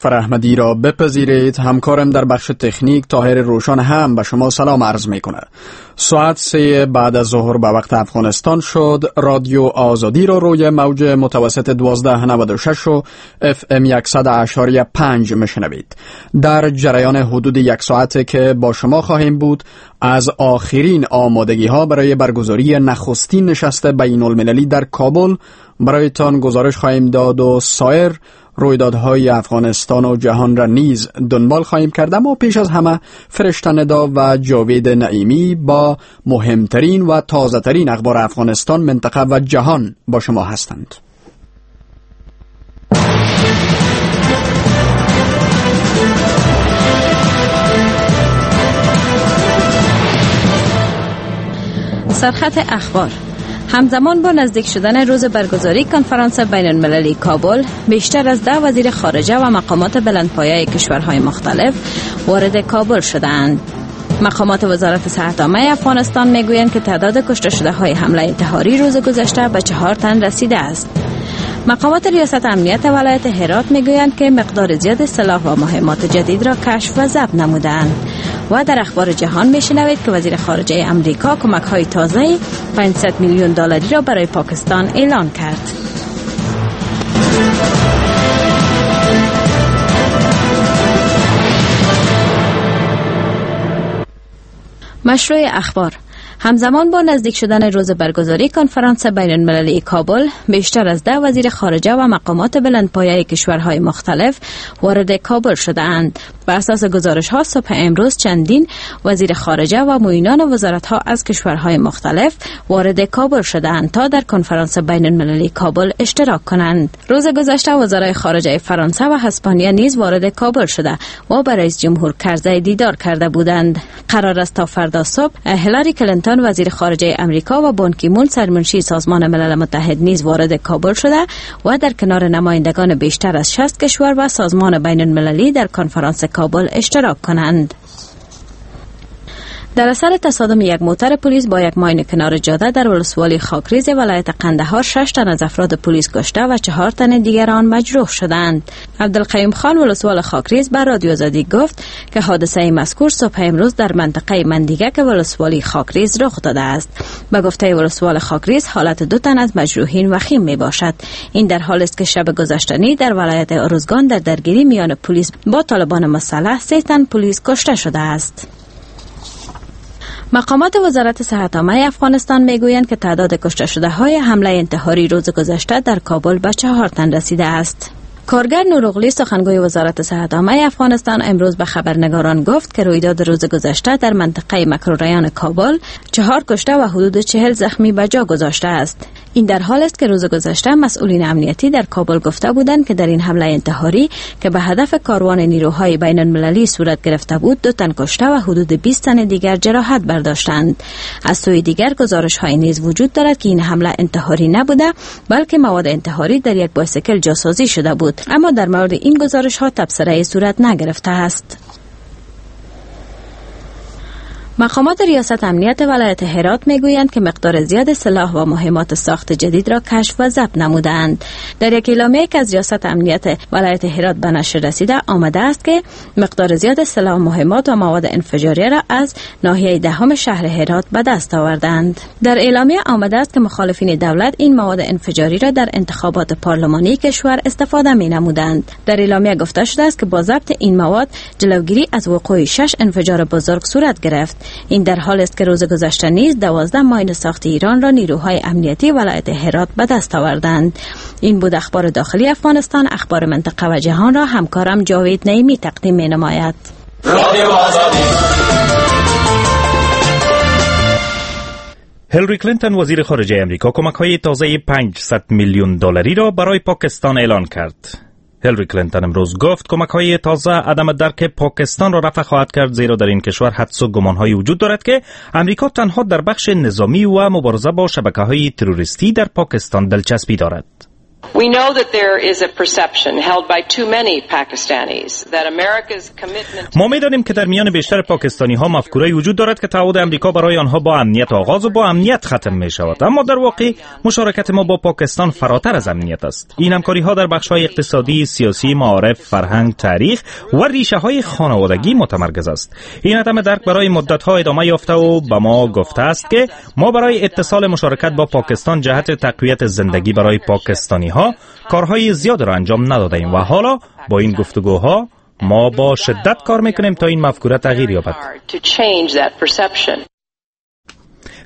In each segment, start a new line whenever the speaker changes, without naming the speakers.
احمدی را بپذیرید. همکارم در بخش تکنیک طاهر روشان هم به شما سلام عرض میکنه. ساعت 3 بعد از ظهر به وقت افغانستان شد. رادیو آزادی را روی موج متوسط 1296 و FM 100.5 میشنوید. در جریان حدود یک ساعت که با شما خواهیم بود از آخرین آمادگی ها برای برگزاری نخستین نشست بین المللی در کابل برایتان گزارش خواهیم داد و سایر رویدادهای افغانستان و جهان را نیز دنبال خواهیم کرد. اما پیش از همه فرشته ندا و جاوید نعیمی با مهمترین و تازه ترین اخبار افغانستان، منطقه و جهان با شما هستند.
سرخط اخبار: همزمان با نزدیک شدن روز برگزاری کنفرانس بین المللی کابل، بیشتر از 10 وزیر خارجه و مقامات بلندپایه کشورهای مختلف وارد کابل شدند. مقامات وزارت صحت عامه افغانستان میگویند که تعداد کشته شده های حمله انتحاری روز گذشته به 4 تن رسیده است. مقامات ریاست امنیت ولایت هرات میگویند که مقدار زیاد سلاح و مهمات جدید را کشف و ضبط نمودند. و در اخبار جهان میشنوید که وزیر خارجه امریکا کمک‌های تازه 500 میلیون دلاری را برای پاکستان اعلان کرد. مشروع اخبار: همزمان با نزدیک شدن روز برگزاری کنفرانس بین المللی کابل، بیشتر از 10 وزیر خارجه و مقامات بلندپایه کشورهای مختلف وارد کابل شده‌اند. بر اساس گزارش‌ها صبح امروز چندین وزیر خارجه و معینان وزارت‌ها از کشورهای مختلف وارد کابل شده‌اند تا در کنفرانس بین المللی کابل اشتراک کنند. روز گذشته وزرای خارجه فرانسه و اسپانیا نیز وارد کابل شده و با رئیس جمهور کرزی دیدار کرده بودند. قرار است تا فردا صبح هیلاری کلینتون وزیر خارجه امریکا و بان کی مون سرمنشی سازمان ملل متحد نیز وارد کابل شده و در کنار نمایندگان بیشتر از 60 کشور و سازمان بین المللی در کنفرانس کابل اشتراک کنند. در اثر تصادم یک موتر پلیس با یک ماین کنار جاده در ولسوالی خاکریز ولایت قندهار 6 تن از افراد پلیس کشته و 4 تن دیگران مجروح شدند. عبدالقیوم خان ولسوال خاکریز بر رادیو آزادی گفت که حادثه مذکور صبح امروز در منطقه مندیگه که ولسوالی خاکریز رخ داده است. به گفته ولسوال خاکریز حالت 2 تن از مجروحین وخیم می باشد. این در حال است که شب گذشته در ولایت ارزگان در درگیری میان پلیس با طالبان مسلح 3 تن پلیس کشته شده است. مقامات وزارت صحت عامه افغانستان میگویند که تعداد کشته شده های حمله انتحاری روز گذشته در کابل به 4 تن رسیده است. کارگر نورغلی سخنگوی وزارت صحت عامه افغانستان امروز به خبرنگاران گفت که رویداد روز گذشته در منطقه مکروریان کابل 4 کشته و حدود 40 زخمی به جا گذاشته است. این در حال است که روز گذشته مسئولین امنیتی در کابل گفته بودند که در این حمله انتحاری که به هدف کاروان نیروهای بین المللی صورت گرفته بود 2 تن کشته و حدود 20 تن دیگر جراحت برداشتند. از سوی دیگر گزارش‌های نیز وجود دارد که این حمله انتحاری نبوده بلکه مواد انتحاری در یک بایسکل جاسازی شده بود، اما در مورد این گزارش‌ها تبصره صورت نگرفته است. مقامات ریاست امنیت ولایت هرات میگویند که مقدار زیاد سلاح و مهمات ساخت جدید را کشف و ضبط نمودند. در یک اعلامیه که از ریاست امنیت ولایت هرات به نشر رسیده آمده است که مقدار زیاد سلاح و مهمات و مواد انفجاری را از ناحیه 10 شهر هرات به دست آوردند. در اعلامیه آمده است که مخالفین دولت این مواد انفجاری را در انتخابات پارلمانی کشور استفاده می نمودند. در اعلامیه گفته شده است که با ضبط این مواد جلوگیری از وقوع 6 انفجار بزرگ صورت گرفت. این در حال است که روز گذشته نیز 12 ماین ساخت ایران را نیروهای امنیتی ولایت هرات به دست آوردند. این بود اخبار داخلی افغانستان. اخبار منطقه و جهان را همکارم جاوید نعیمی تقدیم می نماید.
هیلاری کلینتون وزیر خارجه امریکا کمک‌های تازه 500 میلیون دلاری را برای پاکستان اعلان کرد. هیلاری کلینتون امروز گفت کمک‌های تازه عدم درک پاکستان را رفع خواهد کرد، زیرا در این کشور حدس و گمان‌هایی وجود دارد که امریکا تنها در بخش نظامی و مبارزه با شبکه‌های تروریستی در پاکستان دلچسپی دارد.
We know that there is a perception held by too many Pakistanis that America's commitment.
ما می‌دانیم که در میان بیشتر پاکستانی ها مفکوره‌ای وجود دارد که تعهد امریکا برای آنها با امنیت آغاز و با امنیت ختم می شود، اما در واقع مشارکت ما با پاکستان فراتر از امنیت است. این همکاری ها در بخش های اقتصادی، سیاسی، معارف، فرهنگ، تاریخ و ریشه های خانوادگی متمرکز است. این عدم درک برای مدت ها ادامه یافته و به ما گفته است که ما برای اتصال مشارکت با پاکستان جهت تقویت زندگی برای پاکستانی ها کارهای زیاد را انجام نداده‌ایم و حالا با این گفتگوها ما با شدت کار میکنیم تا این مفکوره تغییر یابد.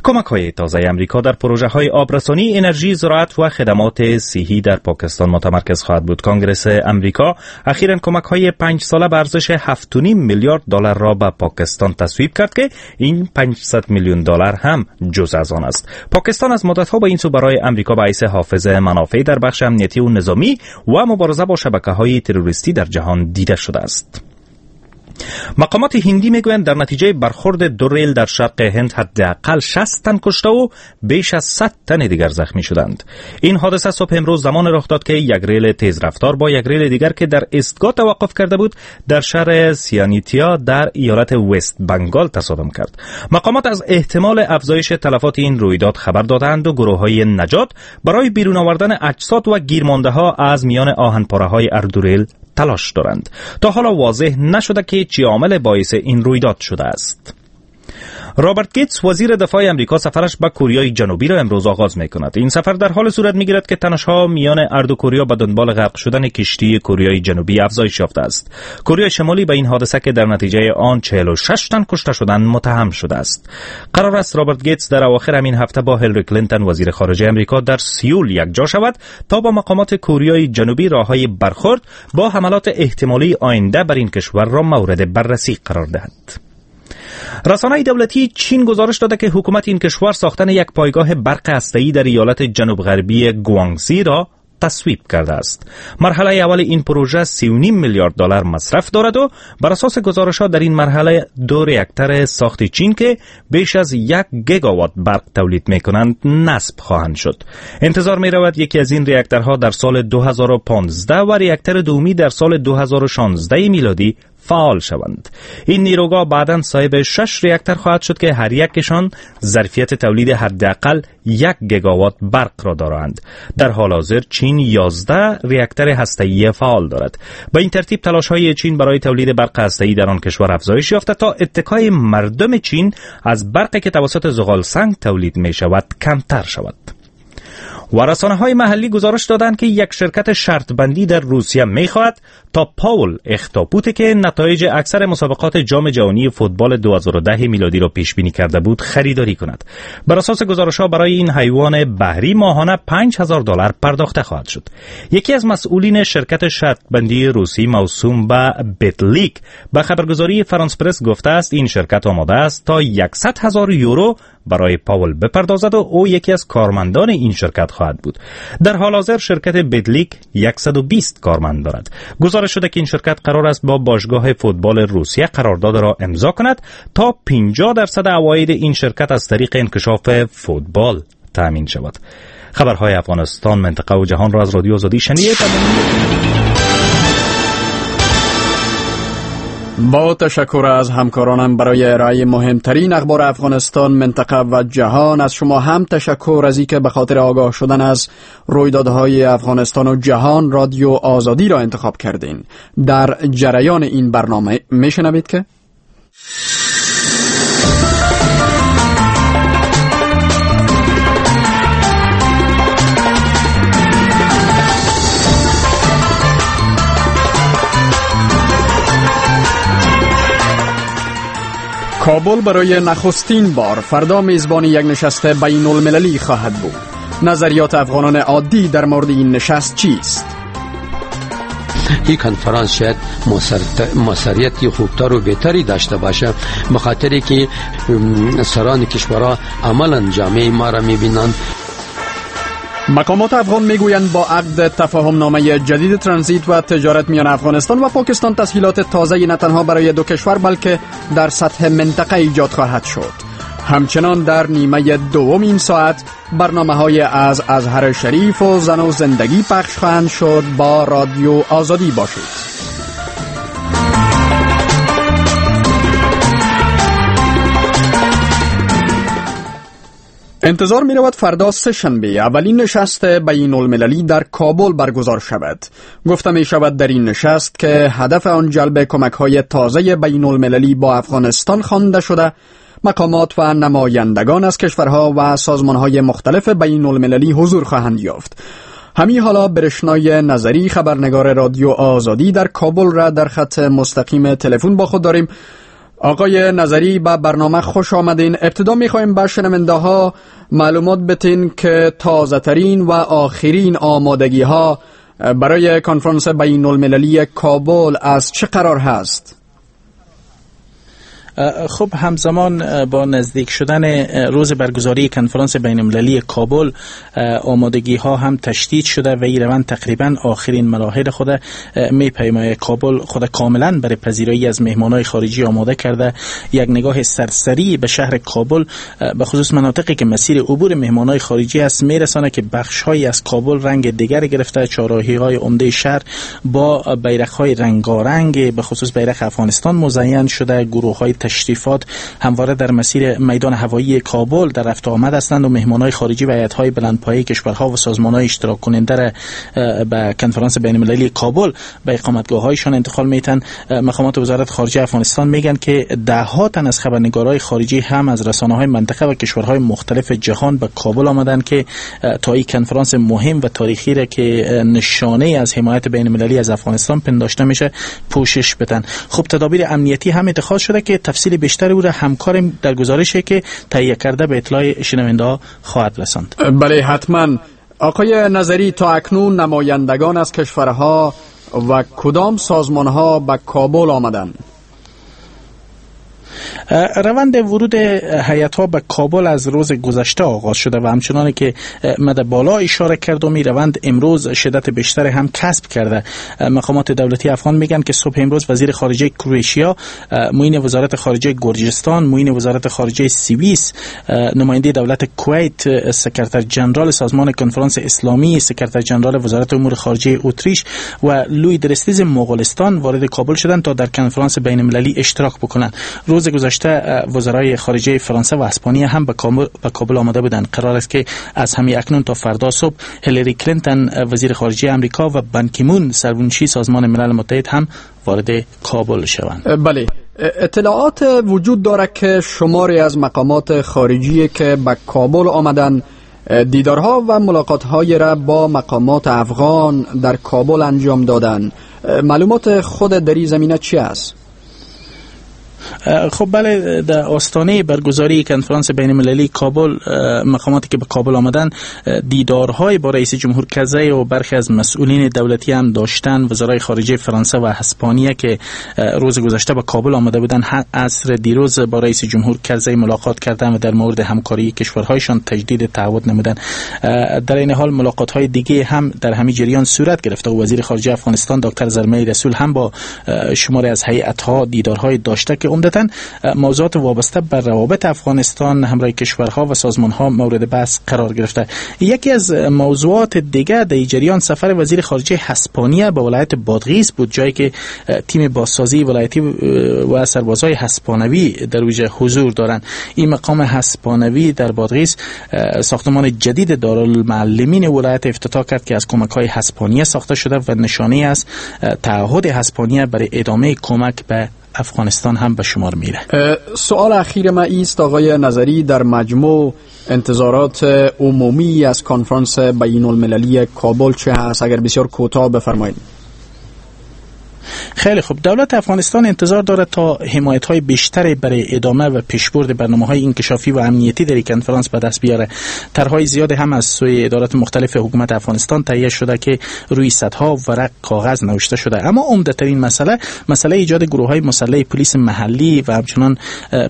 کمک های تازه امریکا در پروژه های آبرسانی، انرژی، زراعت و خدمات صحی در پاکستان متمرکز خواهد بود. کانگرس امریکا اخیراً کمک های 5 ساله به ارزش 7.5 میلیارد دلار را به پاکستان تصویب کرد که این 500 میلیون دلار هم جز از آن است. پاکستان از مدت‌ها به این سو برای امریکا به حیث حافظ منافع در بخش امنیتی و نظامی و مبارزه با شبکه‌های تروریستی در جهان دیده شده است. مقامات هندی میگویند در نتیجه برخورد دو ریل در شرق هند حداقل 60 تن کشته و بیش از 100 تن دیگر زخمی شدند. این حادثه صبح امروز زمان رخ داد که یک ریل تیز رفتار با یک ریل دیگر که در ایستگاه توقف کرده بود در شهر سیانیتیا در ایالت وست بنگال تصادم کرد. مقامات از احتمال افزایش تلفات این رویداد خبر دادند و گروه‌های نجات برای بیرون آوردن اجساد و گیرمانده‌ها از میان آهنپاره‌های اردوریل تلاش دارند. تا حالا واضح نشده که چه عامل باعث این رویداد شده است. رابرت گیتس وزیر دفاع امریکا سفرش به کوریای جنوبی را امروز آغاز می‌کند. این سفر در حال صورت می‌گیرد که تنش‌ها میان هر دو کوریا به دنبال غرق شدن کشتی کوریای جنوبی افزایش یافته است. کوریای شمالی به این حادثه که در نتیجه آن 46 تن کشته شدند متهم شده است. قرار است رابرت گیتس در اواخر همین هفته با هیلری کلینتون وزیر خارجه امریکا در سیول یکجا شود تا با مقامات کوریای جنوبی راه‌های برخورد با حملات احتمالی آینده بر این کشور را مورد بررسی قرار دهد. رسانه دولتی چین گزارش داده که حکومت این کشور ساختن یک پایگاه برق هسته‌ای در ایالت جنوب غربی گوانگزی را تصویب کرده است. مرحله اول این پروژه 3.5 میلیارد دلار مصرف دارد و بر اساس گزارش‌ها در این مرحله دو ریاکتور ساخت چین که بیش از 1 گیگاوات برق تولید می‌کنند نصب خواهند شد. انتظار می‌رود یکی از این ریاکتورها در سال 2015 و ریاکتور دومی در سال 2016 میلادی فعال شوند. این نیروگاه بعداً صاحب 6 ریاکتور خواهد شد که هر یکشان ظرفیت تولید حداقل 1 گیگاوات برق را دارند. در حال حاضر چین 11 ریاکتور هسته‌ای فعال دارد. به این ترتیب تلاش‌های چین برای تولید برق هسته‌ای در آن کشور افزایش یافته تا اتکای مردم چین از برقی که توسط زغال سنگ تولید می‌شود کمتر شود. و رسانه‌های محلی گزارش دادند که یک شرکت شرط بندی در روسیه می‌خواهد تا پاول اختاپوت که نتایج اکثر مسابقات جام جهانی فوتبال 2010 میلادی را پیش بینی کرده بود خریداری کند. بر اساس گزارش‌ها برای این حیوان بحری ماهانه $5,000 پرداخته خواهد شد. یکی از مسئولین شرکت شرط بندی روسی موسوم به بتلیک به خبرگزاری فرانس پرس گفته است این شرکت آماده است تا 100,000 یورو برای پاول بپردازد و او یکی از کارمندان این شرکت خواهد بود. در حال حاضر شرکت بدلیک 120 کارمند دارد. گزارش شده که این شرکت قرار است با باشگاه فوتبال روسیه قرارداد را امضا کند تا 50% عواید این شرکت از طریق انکشاف فوتبال تأمین شود. خبرهای افغانستان، منطقه و جهان را از رادیو آزادی شنیدید.
با تشکر از همکارانم برای ارائه مهمترین اخبار افغانستان، منطقه و جهان. از شما هم تشکر از اینکه به خاطر آگاه شدن از رویدادهای افغانستان و جهان رادیو آزادی را انتخاب کردین. در جریان این برنامه میشنوید که کابل برای نخستین بار فردا میزبان یک نشست بین المللی خواهد بود. نظریات افغانان عادی در مورد این نشست چیست؟
این کنفرانس شاید موثریت خوبتر و بهتری داشته باشه، به خاطر که سران کشورها عملا جامعه ما را میبینند.
مقامات افغان میگویند با عقد تفاهم نامه جدید ترانزیت و تجارت میان افغانستان و پاکستان تسهیلات تازه نه تنها برای دو کشور بلکه در سطح منطقه ایجاد خواهد شد. همچنان در نیمه دوم این ساعت برنامه‌های از ازهر شریف و زن و زندگی پخش خواهند شد. با رادیو آزادی باشید. انتظار می رود فردا سه‌شنبه اولین نشست بین المللی در کابل برگزار شود. گفته می شود در این نشست که هدف آن جلب کمک های تازه بین المللی با افغانستان خوانده شده، مقامات و نمایندگان از کشورها و سازمانهای مختلف بین المللی حضور خواهند یافت. همین حالا برشنای نظری، خبرنگار رادیو آزادی در کابل را در خط مستقیم تلفن با خود داریم. آقای نظری، به برنامه خوش آمدین. ابتدا میخوایم به شنونده ها معلومات بتین که تازه ترین و آخرین آمادگی ها برای کنفرانس بین المللی کابل از چه قرار هست؟
خب، همزمان با نزدیک شدن روز برگزاری کنفرانس بین المللی کابل، آمادگی ها هم تشدید شده و این روند تقریبا آخرین مراحل خود می پیماید. کابل خود کاملا برای پذیرایی از مهمانای خارجی آماده کرده. یک نگاه سرسری به شهر کابل، به خصوص مناطقی که مسیر عبور مهمانای خارجی است، میرسانه که بخش هایی از کابل رنگ دیگر گرفته. چهارراهی های عمده شهر با بیرق های رنگارنگ، به خصوص بیرق افغانستان، مزین شده. گروه های تشریفات همواره در مسیر میدان هوایی کابل در رفت آمد هستند و مهمانای خارجی و هیئت‌های بلندپایه کشورها و سازمان‌های اشتراک کننده به کنفرانس بین‌المللی کابل به اقامتگاه‌هایشان انتقال میتن. مقامات وزارت خارجه افغانستان میگن که ده ها تن از خبرنگارای خارجی هم از رسانه‌های منطقه و کشورهای مختلف جهان به کابل آمدند که تا این کنفرانس مهم و تاریخی را که نشانه از حمایت بین‌المللی از افغانستان پنداشته میشه پوشش بدن. خب، تدابیر امنیتی هم اتخاذ شده که تفصیل بیشتر او را همکارم در گزارشی که تهیه کرده به اطلاع شنونده ها خواهد رساند.
بله، حتما. آقای نظری، تا اکنون نمایندگان از کشورها و کدام سازمانها به کابل آمدند؟
روند ورود هیئت ها به کابل از روز گذشته آغاز شده و همچنان که مد بالا اشاره کردم، این روند امروز شدت بیشتر هم کسب کرده. مقامات دولتی افغان میگن که صبح امروز وزیر خارجه کرواتیا، معین وزارت خارجه گرجستان، معین وزارت خارجه سوئیس، نماینده دولت کویت، سکرتر جنرال سازمان کنفرانس اسلامی، سکرتر جنرال وزارت امور خارجه اتریش و لوی درستیز مغولستان وارد کابل شدند تا در کنفرانس بین المللی اشتراک بکنند. روز گذشته وزرای خارجه فرانسه و اسپانیا هم به کابل آمده بودند. قرار است که از همین اکنون تا فردا صبح هیلاری کلینتون، وزیر خارجه آمریکا، و بان کی مون، سرمنشی سازمان ملل متحد، هم وارد کابل شوند.
بله، اطلاعات وجود داره که شماری از مقامات خارجی که به کابل آمدن دیدارها و ملاقات‌های را با مقامات افغان در کابل انجام دادن. معلومات خود در این زمینه چی است؟
خب بله، در آستانه برگزاری کنفرانس بین المللی کابل، مقاماتی که به کابل آمدن دیدارهای با رئیس جمهور کرزی و برخی از مسئولین دولتی هم داشتن. وزرای خارجه فرانسه و اسپانیا که روز گذشته به کابل آمده بودن، عصر دیروز با رئیس جمهور کرزی ملاقات کردند و در مورد همکاری کشورهایشان تجدید تعهد نمودند. در این حال ملاقات های دیگه هم در همین جریان صورت گرفته و وزیر خارجه افغانستان دکتر زلمی رسول هم با شماری از هیئت ها دیدارهای داشته که عمدتاً موضوعات وابسته بر روابط افغانستان همراه کشورها و سازمانها مورد بحث قرار گرفته. یکی از موضوعات دیگه در جریان سفر وزیر خارجه هسپانیا به ولایت بادغیس بود، جایی که تیم بازسازی ولایتی و سربازای هسپانوی در اوج حضور دارند. این مقام هسپانوی در بادغیس ساختمان جدید دارالمعلمین ولایت افتتاح کرد که از کمک‌های هسپانیا ساخته شده و نشانه از تعهد هسپانیا برای ادامه کمک به افغانستان هم به شمار میره.
سوال اخیر ما ایست آقای نظری، در مجموع انتظارات عمومی از کنفرانس بین المللی کابل چه هست؟ اگر بسیار کوتاه بفرمایید.
خیلی خوب، دولت افغانستان انتظار دارد تا حمایت های بیشتری برای ادامه و پیشبرد برنامه های انکشافی و امنیتی در کنفرانس به دست بیاره. طرح‌های زیاد هم از سوی ادارات مختلف حکومت افغانستان تهیه شده که روی صدها ورق کاغذ نوشته شده، اما عمده ترین مسئله، مسئله ایجاد گروه های مسلح پلیس محلی و همچنان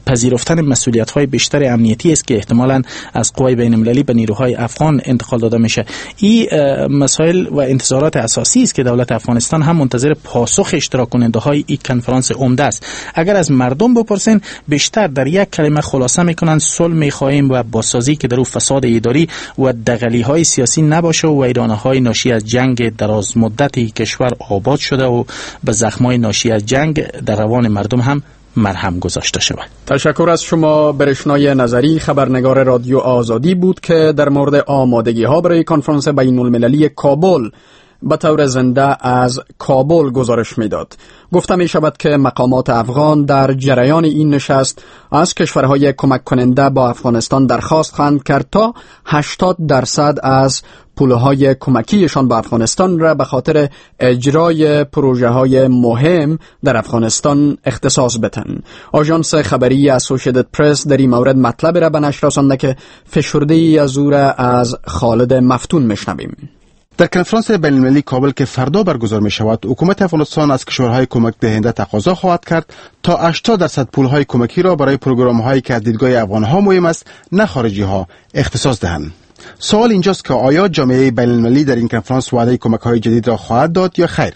پذیرفتن مسئولیت های بیشتر امنیتی است که احتمالاً از قوای بین المللی به نیروهای افغان انتقال داده میشه. این مسائل و انتظارات اساسی است که دولت افغانستان هم منتظر پاسخ پاسخ اشتراک کننده های این کنفرانس عمده است. اگر از مردم بپرسین بیشتر در یک کلمه خلاصه میکنند: صلح میخواهیم و بازسازی که در او فساد اداری و دغلی های سیاسی نباشه و ویرانه های ناشی از جنگ دراز مدت کشور آباد شده و به زخم های ناشی از جنگ در روان مردم هم مرهم گذاشته شود.
تشکر از شما. برشنای نظری، خبرنگار رادیو آزادی بود که در مورد آمادگی ها برای کنفرانس بین المللی کابل به طور زنده از کابل گزارش میداد. گفته می شود که مقامات افغان در جریان این نشست از کشورهای کمک کننده با افغانستان درخواست خواهند کرد تا 80% از پولهای کمکیشان به افغانستان را به خاطر اجرای پروژه های مهم در افغانستان اختصاص بدهند. آژانس خبری اسوسییتد پرس در این مورد مطلب را به نشر رسانده که فشرده ای از او را از خالد مفتون میشنویم.
در کنفرانس بین‌المللی کابل که فردا برگزار می شود، حکومت افغانستان از کشورهای کمک دهنده تقاضا خواهد کرد تا 80% پولهای کمکی را برای پروگرام‌هایی که از دیدگاه افغان‌ها مهم است، نه خارجی‌ها، اختصاص دهند. سوال اینجاست که آیا جامعه بین‌المللی در این کنفرانس وعده کمک‌های جدید را خواهد داد یا خیر؟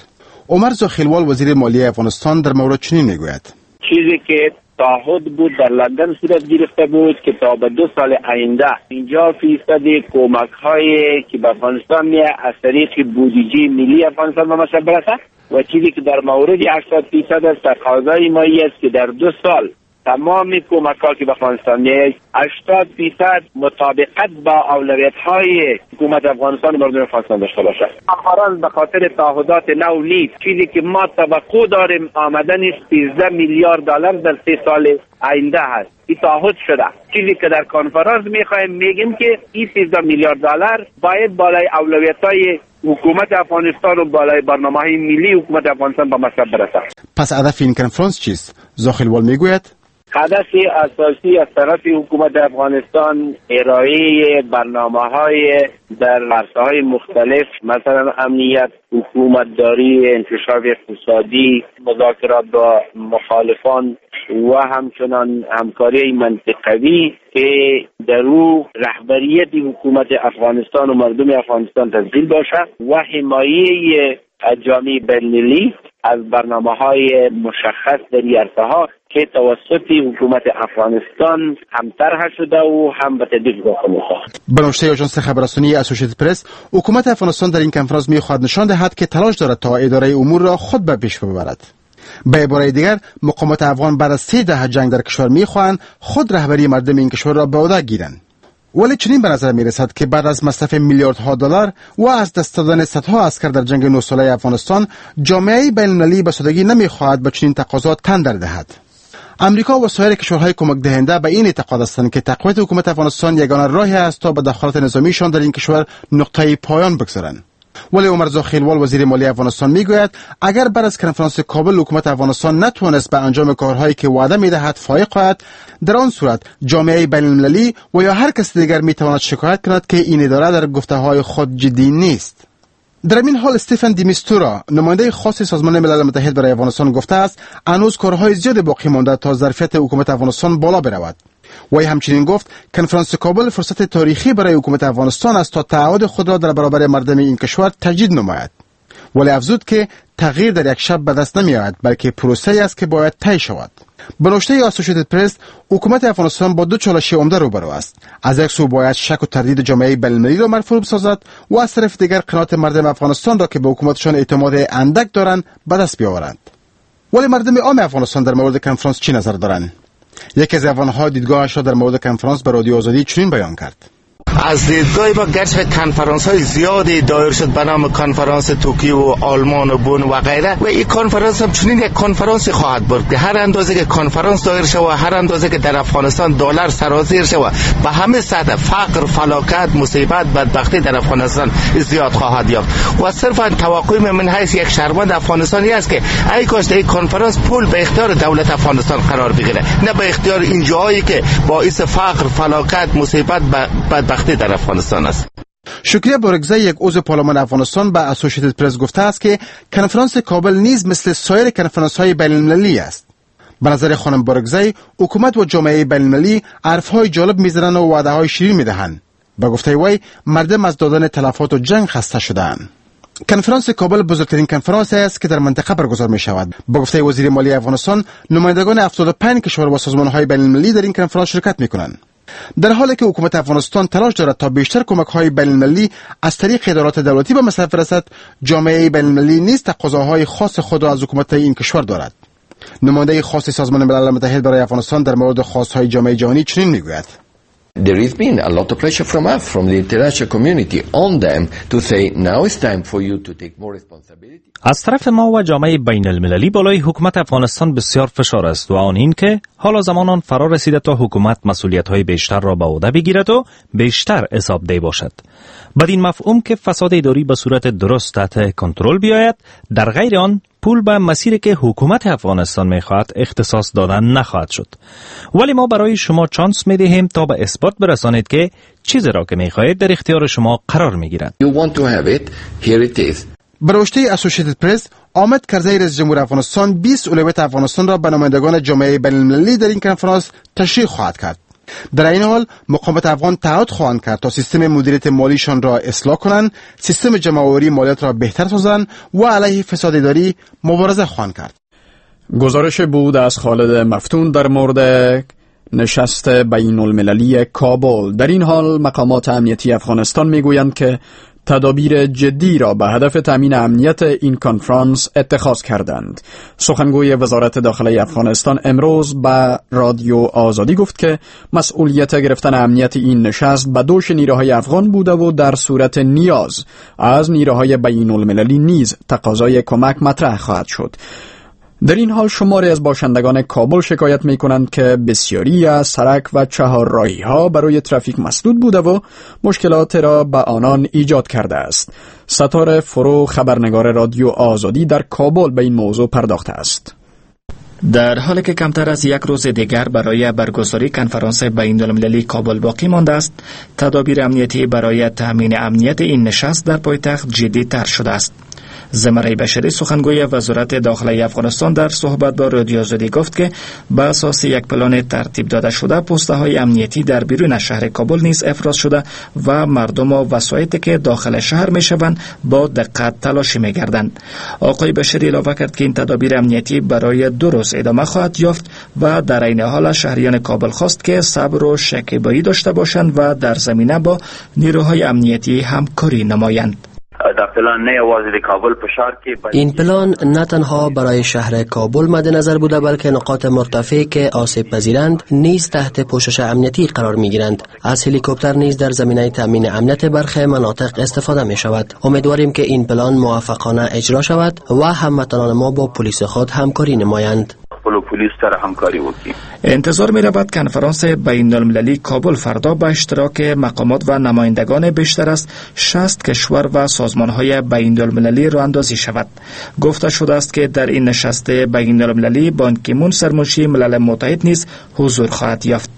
عمر زاخیلوال، وزیر مالیه افغانستان، در مورد چنین میگوید:
چیزی که تعهد بود در لندن صورت گرفته بود که تا به 2 سال آینده 50% کمک هایی که به افغانستان میاد از طریق بودجه ملی افغانستان به مصرف برسه و چیزی که در مورد 80% از تقاضای ما است که در 2 سال تمام کمک ها که به افغانستان میاد 80% مطابقت با اولویت های حکومت افغانستان و مردم افغانستان داشته باشد. کنفرانس به خاطر تعهدات نو نیست. چیزی که ما توقع داریم آمدن 13 میلیارد دلار در 3 سال آینده هست. این تعهد شده. چیزی که در کنفرانس میخوایم میگیم که این 13 میلیارد دلار باید بالای اولویت های حکومت افغانستان و بالای برنامه‌های ملی حکومت افغانستان به مصرف برسد.
پس هدف این کنفرانس چیست؟ زاخیلوال میگوید:
هدف اساسی از طرف حکومت افغانستان ارائه برنامه‌های در عرصه‌های مختلف، مثلا امنیت، حکومتداری، انکشاف اقتصادی، مذاکرات با مخالفان و همچنان همکاری منطقوی که در او رهبریت حکومت افغانستان و مردم افغانستان تسجیل باشد و حمایه جامعه بین‌المللی از برنامه‌های مشخص در این عرصه‌ها که توسط حکومت افغانستان هم طرح شده و هم به تطبیق داخل می‌شود.
به نوشته آژانس خبررسانی اسوسییتد پرس، حکومت افغانستان در این کنفرانس می‌خواهد نشان دهد که تلاش دارد تا اداره امور را خود به پیش ببرد. به عبارت دیگر، مقامات افغان بعد از 3 دهه جنگ در کشور می‌خواهند خود رهبری مردم این کشور را به عهده گیرند. ولی چنین به نظر می‌رسد که بعد از مصرف میلیاردها دلار و از دست دادن صدها عسکر در جنگ 9 ساله افغانستان، جامعه بین‌المللی به سادگی نمی‌خواهد به چنین تقاضا تن در دهد. امریکا و سایر کشورهای کمک دهنده به این اعتقاد هستند که تقویت حکومت افغانستان یگانه راهی است تا به دخالت نظامیشان در این کشور نقطه پایان بگذارند. ولی عمر زاخیلوال، وزیر مالی افغانستان، میگوید اگر بعد از کنفرانس کابل حکومت افغانستان نتوانست به انجام کارهایی که وعده میدهد فائق آید، در آن صورت جامعه بین‌المللی و یا هر کس دیگر میتواند شکایت کند که این اداره در گفته‌های خود جدی نیست. در این حال استفان دیمیستورا، نماینده خاص سازمان ملل متحد برای افغانستان، گفته است هنوز کارهای زیاد باقی مانده تا ظرفیت حکومت افغانستان بالا برود. وی همچنین گفت کنفرانس کابل فرصت تاریخی برای حکومت افغانستان است تا تعهد خود را در برابر مردم این کشور تجدید نماید. ولی افزود که تغییر در یک شب به دست نمی آید، بلکه پروسه‌ای است که باید طی شود. به نوشته اسوسییتد پرس، حکومت افغانستان با 2 چالش عمده روبرو است. از یک سو باید شک و تردید جامعه بین‌المللی را مرفوع بسازد و از طرف دیگر قناعت مردم افغانستان را که به حکومتشان اعتماد اندک دارند به دست بیاورند. ولی مردم عام افغانستان در مورد کنفرانس چی نظر دارند؟ یکی از افغان‌ها دیدگاهش را در مورد کنفرانس به رادیو آزادی چنین بیان کرد:
از دیدگاه ما گرچه کنفرانس های زیادی دایر شد به نام کنفرانس توکیو و آلمان و بن و غیره، و این کنفرانس هم چنین یک کنفرانس خواهد بود که هر اندازه که کنفرانس دایر شود، هر اندازه که در افغانستان دلار سرازیر شود، به همه سطح فقر، فلاکت، مصیبت، بدبختی در افغانستان زیاد خواهد یافت. و صرفا توقع من حیث یک شهروند افغانستانی است که ای کاش در این کنفرانس پول به اختیار دولت افغانستان قرار بگیره، نه به اختیار این جاهایی که باعث فقر، فلاکت، مصیبت، بدبختی در افغانستان است.
شکریه بارکزی، یک عضو پارلمان افغانستان، به اسوسییتد پرس گفته است که کنفرانس کابل نیز مثل سایر کنفرانس های بین المللی است. به نظر خانم بارکزی، حکومت و جامعه بین المللی حرفهای جالب میزنند و وعده های شیرین میدهند. به گفته وی، مردم از دادن تلفات و جنگ خسته شده‌اند. کنفرانس کابل بزرگترین کنفرانس است که در منطقه برگزار می شود. با گفته وزیر مالی افغانستان، نمایندگان 75 کشور و سازمان‌های بین‌المللی در این کنفرانس شرکت می‌کنند. در حالی که حکومت افغانستان تلاش دارد تا بیشتر کمک‌های بین‌المللی از طریق ادارات دولتی به مصرف رسد، جامعه بین‌المللی نیز تقاضاهای خاص خود را از حکومت این کشور دارد. نماینده خاص سازمان ملل متحد برای افغانستان در مورد خواست‌های جامعه جهانی چنین می‌گوید:
There has been a lot of pressure from us, from the international community on them to say now it's time for you to take more responsibility.
از طرف ما و جامعه بین المللی بالای حکومت افغانستان بسیار فشار است و آن این که حالا زمان آن فرا رسیده تا حکومت مسئولیت های بیشتر را به عهده بگیرد و بیشتر حسابده باشد. بدین مفهوم که فساد اداری به صورت درست تحت کنترل بیاید، در غیر آن پول به مسیری که حکومت افغانستان میخواهد اختصاص دادن نخواهد شد. ولی ما برای شما چانس میدهیم تا به اثبات برسانید که چیزی را که میخواهید در اختیار شما قرار میگیرد.
You want to have it, here it is.
به نوشته اسوسییتد پرس، حامد کرزی رئیس جمهور افغانستان 20 اولویت افغانستان را به نمایندگان جامعه بین‌المللی در این کنفرانس تشریح خواهد کرد. در این حال مقامات افغان تعهد خواهند کرد تا سیستم مدیریت مالیشان را اصلاح کنند، سیستم جمع‌آوری مالیات را بهتر سازند و علیه فساد اداری مبارزه خواهند کرد.
گزارش بود از خالد مفتون در مورد نشست بین المللی کابل. در این حال مقامات امنیتی افغانستان میگویند که تدابیر جدی را به هدف تامین امنیت این کنفرانس اتخاذ کردند. سخنگوی وزارت داخله افغانستان امروز به رادیو آزادی گفت که مسئولیت گرفتن امنیت این نشست به دوش نیروهای افغان بوده و در صورت نیاز از نیروهای بین المللی نیز تقاضای کمک مطرح خواهد شد. در این حال شماری از باشندگان کابل شکایت می کنند که بسیاری از سرک و چهارراهی ها برای ترافیک مسدود بوده و مشکلات را به آنان ایجاد کرده است. ستار فرو، خبرنگار رادیو آزادی در کابل، به این موضوع پرداخته است.
در حالی که کمتر از یک روز دیگر برای برگزاری کنفرانس بین المللی کابل باقی مانده است، تدابیر امنیتی برای تامین امنیت این نشست در پایتخت جدی تر شده است. زمری بشری، سخنگوی وزارت داخله افغانستان، در صحبت با رادیو آزادی گفت که به اساس یک پلان ترتیب داده شده، پوسته های امنیتی در بیرون شهر کابل نیز افراز شده و مردم و وسایطی که داخل شهر می شوند با دقت تلاشی می گردند. آقای بشری علاوه کرد که این تدابیر امنیتی برای 2 روز ادامه خواهد یافت و در عین حال شهریان کابل خواست که صبر و شکیبایی داشته باشند و در زمینه با نیروهای امنیتی همکاری نمایند.
این پلان نه تنها برای شهر کابل مد نظر بوده، بلکه نقاط مرتفع که آسیب پذیرند نیز تحت پوشش امنیتی قرار می گیرند. از هلیکوپتر نیز در زمینه تامین امنیت برخی مناطق استفاده می شود. امیدواریم که این پلان موفقانه اجرا شود و هموطنان ما با پلیس خود همکاری نمایند.
انتظار می رود کنفرانس بین المللی کابل فردا به اشتراک مقامات و نمایندگان بیشتر از 60 کشور و سازمان های بین المللی راه اندازی شود. گفته شده است که در این نشست بین المللی بان کی مون، سرمنشی ملل متحد، نیز حضور خواهد یافت.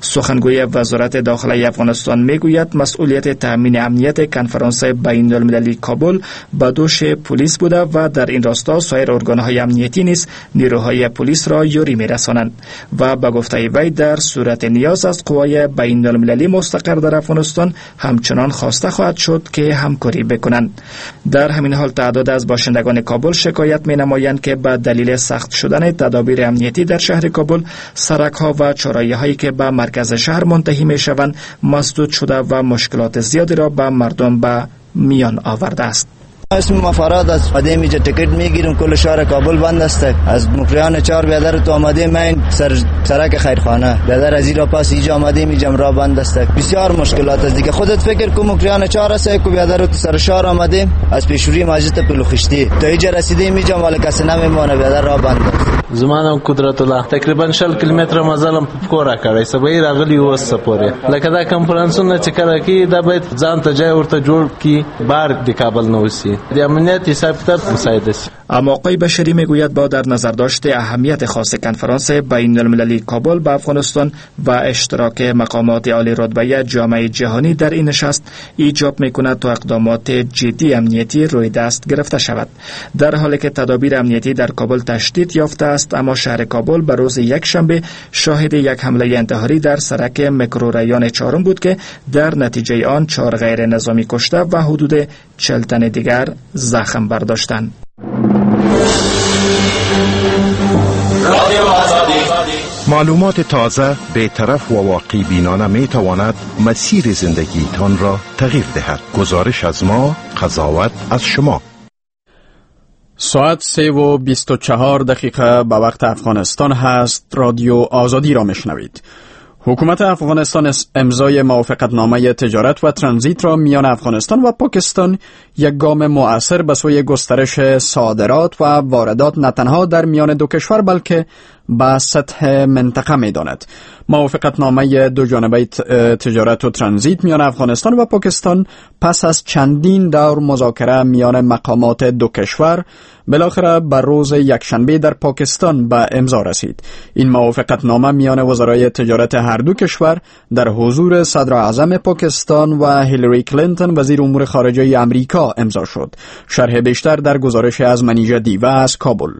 سخنگوی وزارت داخله افغانستان میگوید مسئولیت تامین امنیت کنفرانس بین المللی کابل به دوش پلیس بوده و در این راستا سایر ارگانهای امنیتی نیز نیروهای پلیس را یاری میرسانند و به گفته وی در صورت نیاز از قوای بین المللی مستقر در افغانستان همچنان خواسته خواهد شد که همکاری بکنند. در همین حال تعداد از باشندگان کابل شکایت می نمایند که به دلیل سخت شدن تدابیر امنیتی در شهر کابل، سرک ها و چهارراهی که به مرکز شهر منتهی می شوند مسدود شده و مشکلات زیادی را به مردم به میان آورده است.
اسم ما فراد است. آمدیم اینجا تکت میگیریم، کل شهر کابل بند است. از مکریان 4 بیادر تو آمدیم، من سر سرک خیرخانه بیادر از ایرا پس اینجا آمدیم، اینجا راه بند است. بسیار مشکلات است دیگه. خودت فکر کو مکریان 4 است کو بیادر تو سر شهر آمدیم، از پیشوری مسجد پلوخشتی تا اینجا رسیدیم، اینجا مال کس نمیمونه، بیادر راه بند است.
زما نوم قدرت الله. تقریبا 20 کیلومتر مزلم په پښو راکړی، سبا یې راغلي اوس پورې. لکه دا کنفرانسونه چې کله کېږي، دا باید ځان ته جای ورته جوړ کړي، بار د کابل نه وسی، د امنیت حساب کتاب مساعد شي.
اما آقای بشری میگوید با در نظر داشت اهمیت خاص کنفرانس بین المللی کابل به افغانستان و اشتراک مقامات عالی رتبه جامعه جهانی در این نشست ایجاب میکند تا اقدامات جدی امنیتی روی دست گرفته شود. در حالی که تدابیر امنیتی در کابل تشدید یافته است، اما شهر کابل به روز یکشنبه شاهد یک حمله انتحاری در سرک میکروریان چهارم بود که در نتیجه آن 4 غیر نظامی کشته و حدود 40 تن دیگر زخم برداشتند.
معلومات تازه، بی‌طرف و واقع بینانه می تواند مسیر زندگیتان را تغییر دهد. گزارش از ما، قضاوت از شما.
ساعت 3:24 به وقت افغانستان هست. رادیو آزادی را میشنوید. حکومت افغانستان امضای موافقتنامه تجارت و ترانزیت را میان افغانستان و پاکستان یک گام مؤثر به سوی گسترش صادرات و واردات نه تنها در میان دو کشور بلکه به سطح منطقه می داند. موافقتنامه دو جانبه تجارت و ترانزیت میان افغانستان و پاکستان پس از چندین دور مذاکره میان مقامات دو کشور بالاخره بر روز یکشنبه در پاکستان به امضا رسید. این موافقتنامه میان وزرای تجارت هر دو کشور در حضور صدر اعظم پاکستان و هیلاری کلینتون وزیر امور خارجه امریکا امضا شد. شرح بیشتر در گزارش از منیژه دیوه از کابل.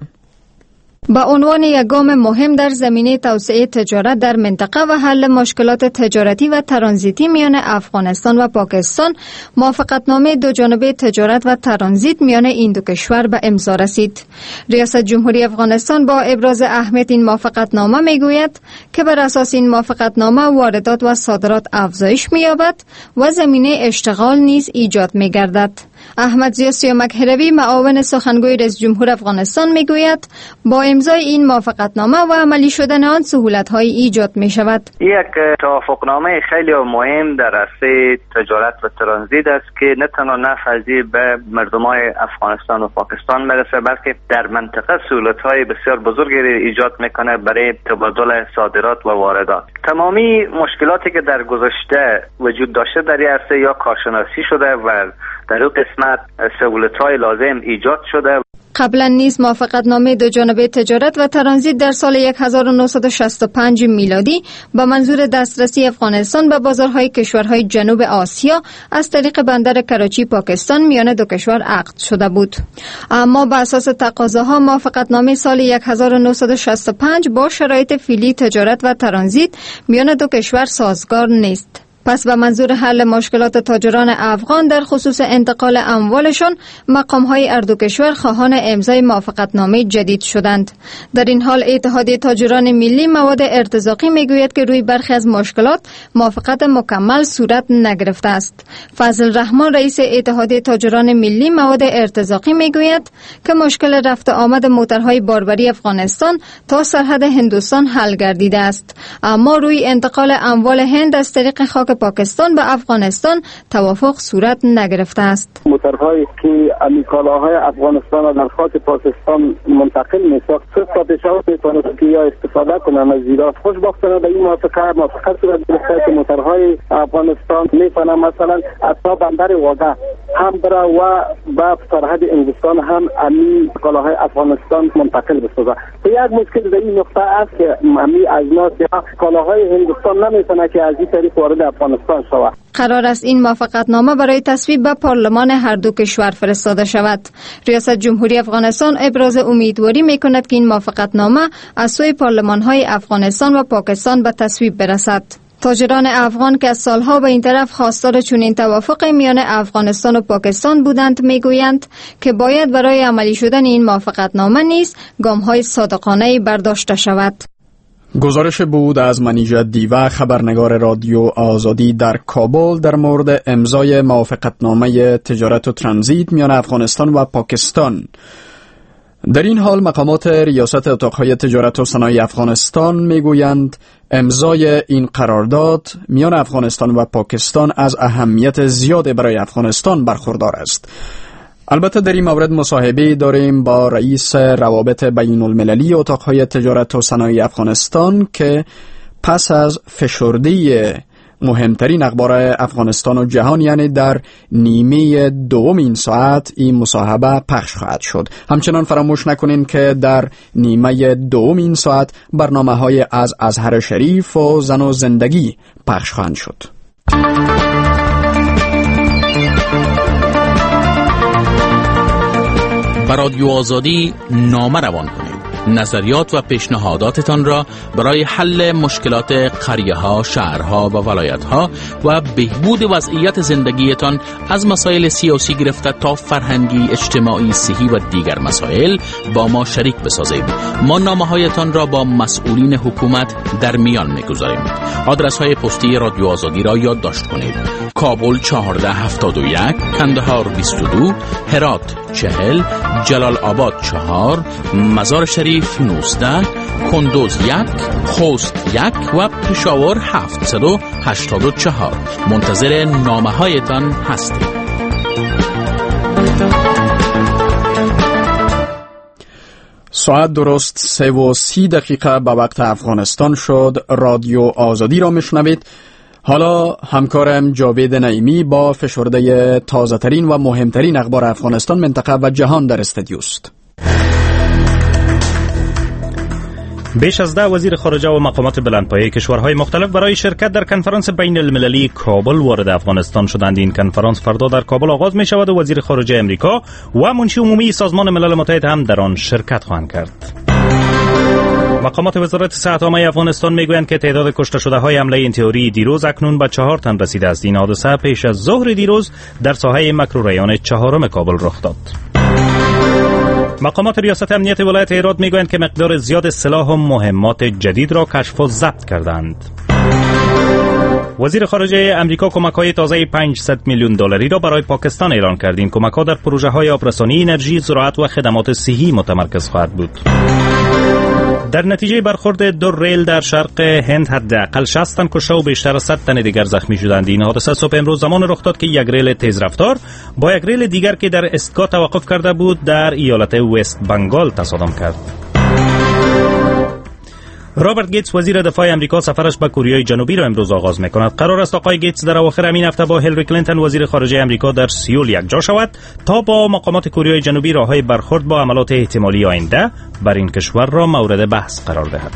به عنوان یک گام مهم در زمینه توسعه تجارت در منطقه و حل مشکلات تجارتی و ترانزیتی میان افغانستان و پاکستان، موافقتنامه دو جانبه تجارت و ترانزیت میان این دو کشور به امضا رسید. ریاست جمهوری افغانستان با ابراز اهمیت این موافقتنامه میگوید که بر اساس این موافقتنامه واردات و صادرات افزایش می‌یابد و زمینه اشتغال نیز ایجاد می‌گردد. احمد ضیا سیامک هروی، معاون سخنگوی رئیس جمهور افغانستان، میگوید با امضای این موافقتنامه و عملی شدن آن سهولت‌های ایجاد می‌شود.
یک توافقنامه خیلی مهم در عرصه تجارت و ترانزیت است که نه تنها نفع به مردمای افغانستان و پاکستان میرسه، بلکه در منطقه سهولت‌های بسیار بزرگی ایجاد میکنه برای تبادل صادرات و واردات. تمامی مشکلاتی که در گذشته وجود داشته در این عرصه یا کارشناسی شده و در این قسمت سهولت‌های لازم ایجاد شده.
قبلا نیز موافقتنامه دو جانبه تجارت و ترانزیت در سال 1965 میلادی با منظور دسترسی افغانستان به بازارهای کشورهای جنوب آسیا از طریق بندر کراچی پاکستان میان دو کشور عقد شده بود. اما به اساس تقاضاها موافقتنامه سال 1965 با شرایط فعلی تجارت و ترانزیت میان دو کشور سازگار نیست. پس به منظور حل مشکلات تاجران افغان در خصوص انتقال اموالشان، مقام‌های هر دو کشور خواهان امضای موافقتنامه جدید شدند. در این حال اتحادیه تاجران ملی مواد ارتزاقی میگوید که روی برخی از مشکلات موافقت مکمل صورت نگرفته است. فضل رحمان رئیس اتحادیه تاجران ملی مواد ارتزاقی میگوید که مشکل رفت آمد موترهای باربری افغانستان تا سرحد هندوستان حل گردیده است، اما روی انتقال اموال هند از طریق خاک پاکستان به افغانستان توافق صورت نگرفته است.
موترهایی که کالاهای افغانستان را در خاک پاکستان منتقل می‌ساخت، تا پشاور می‌توانست که یا استفاده کنند از زیرا. خوشبختانه به این موافقت صورت گرفته که موترهای افغانستان می‌توانند مثلا تا بندر واگه هم بره و به سرحد هندوستان هم امی کالاهای افغانستان منتقل بسازه. یک مشکل در این نقطه است که امی اجناس یا کالاهای هندوستان نمی‌تونه که از این طریق وارد افغانستان شود.
قرار است این موافقتنامه برای تصویب به پارلمان هر دو کشور فرستاده شود. ریاست جمهوری افغانستان ابراز امیدواری می‌کند که این موافقتنامه از سوی پارلمان‌های افغانستان و پاکستان به تصویب برسد. تاجران افغان که از سالها به این طرف خواستار چنین توافق میان افغانستان و پاکستان بودند، میگویند که باید برای عملی شدن این موافقتنامه نیز گام‌های صادقانه برداشته شود.
گزارش بود از منیژه دیوه، خبرنگار رادیو آزادی در کابل، در مورد امضای موافقتنامه تجارت و ترانزیت میان افغانستان و پاکستان. در این حال مقامات ریاست اتاقهای تجارت و صنایع افغانستان میگویند امضای این قرارداد میان افغانستان و پاکستان از اهمیت زیاد برای افغانستان برخوردار است. البته در این مورد مصاحبه داریم با رئیس روابط بین المللی اتاقهای تجارت و صنایع افغانستان که پس از فشرده مهمترین اخبار افغانستان و جهان، یعنی در نیمه دوم این ساعت این مصاحبه پخش خواهد شد. همچنان فراموش نکنین که در نیمه دوم این ساعت برنامه‌های از ازهر شریف و زن و زندگی پخش خواهند شد.
به رادیو آزادی نامه روان کنید. نظریات و پیشنهاداتتان را برای حل مشکلات قریه ها، شهرها و ولایت ها و بهبود وضعیت زندگیتان از مسائل سیاسی گرفته تا فرهنگی، اجتماعی، صحی و دیگر مسائل با ما شریک بسازید. ما نامه هایتان را با مسئولین حکومت در میان میگذاریم. آدرس های پستی رادیو آزادی را یادداشت کنید: کابل 1471، کندهار 22، هرات 40، جلال آباد 4، مزار شریف 19، کندوز 1، خوست 1 و پشاور 784. منتظر نامه هایتان هستیم.
ساعت درست 3:30 به وقت افغانستان شد. رادیو آزادی را میشنوید. حالا همکارم جاوید نعیمی با فشرده تازه ترین و مهمترین اخبار افغانستان، منطقه و جهان در استودیوست.
بیش از 10 وزیر خارجه و مقامات بلندپایه کشورهای مختلف برای شرکت در کنفرانس بین المللی کابل وارد افغانستان شدند. این کنفرانس فردا در کابل آغاز می شود و وزیر خارجه امریکا و منشی عمومی سازمان ملل متحد هم در آن شرکت خواهند کرد. مقامات وزارت صحت عامه افغانستان میگویند که تعداد کشته شده های حمله انتحاری دیروز اکنون به 4 تن رسیده است. این حادثه پیش از ظهر دیروز در ساحه مکروریان 4 کابل رخ داد. مقامات ریاست امنیت ولایت هرات میگویند که مقدار زیاد سلاح و مهمات جدید را کشف و ضبط کردند. وزیر خارجه امریکا کمک‌های تازه 500 میلیون دلاری را برای پاکستان اعلان کرد. این کمک‌ها در پروژه‌های آبرسانی، انرژی، زراعت و خدمات صحی متمرکز خواهد بود. در نتیجه برخورد دو ریل در شرق هند حداقل 60 تن کشته و بیشتر از 100 تن دیگر زخمی شدند. این حادثه صبح امروز زمان رخ داد که یک ریل تیز رفتار با یک ریل دیگر که در ایستگاه توقف کرده بود در ایالت وست بنگال تصادم کرد. رابرت گیتس وزیر دفاع امریکا سفرش به کوریای جنوبی را امروز آغاز می‌کند. قرار است آقای گیتس در اواخر همین هفته با هیلری کلینتون وزیر خارجه امریکا در سیول یکجا شود تا با مقامات کوریای جنوبی راه‌های برخورد با حملات احتمالی آینده بر این کشور را مورد بحث قرار دهد.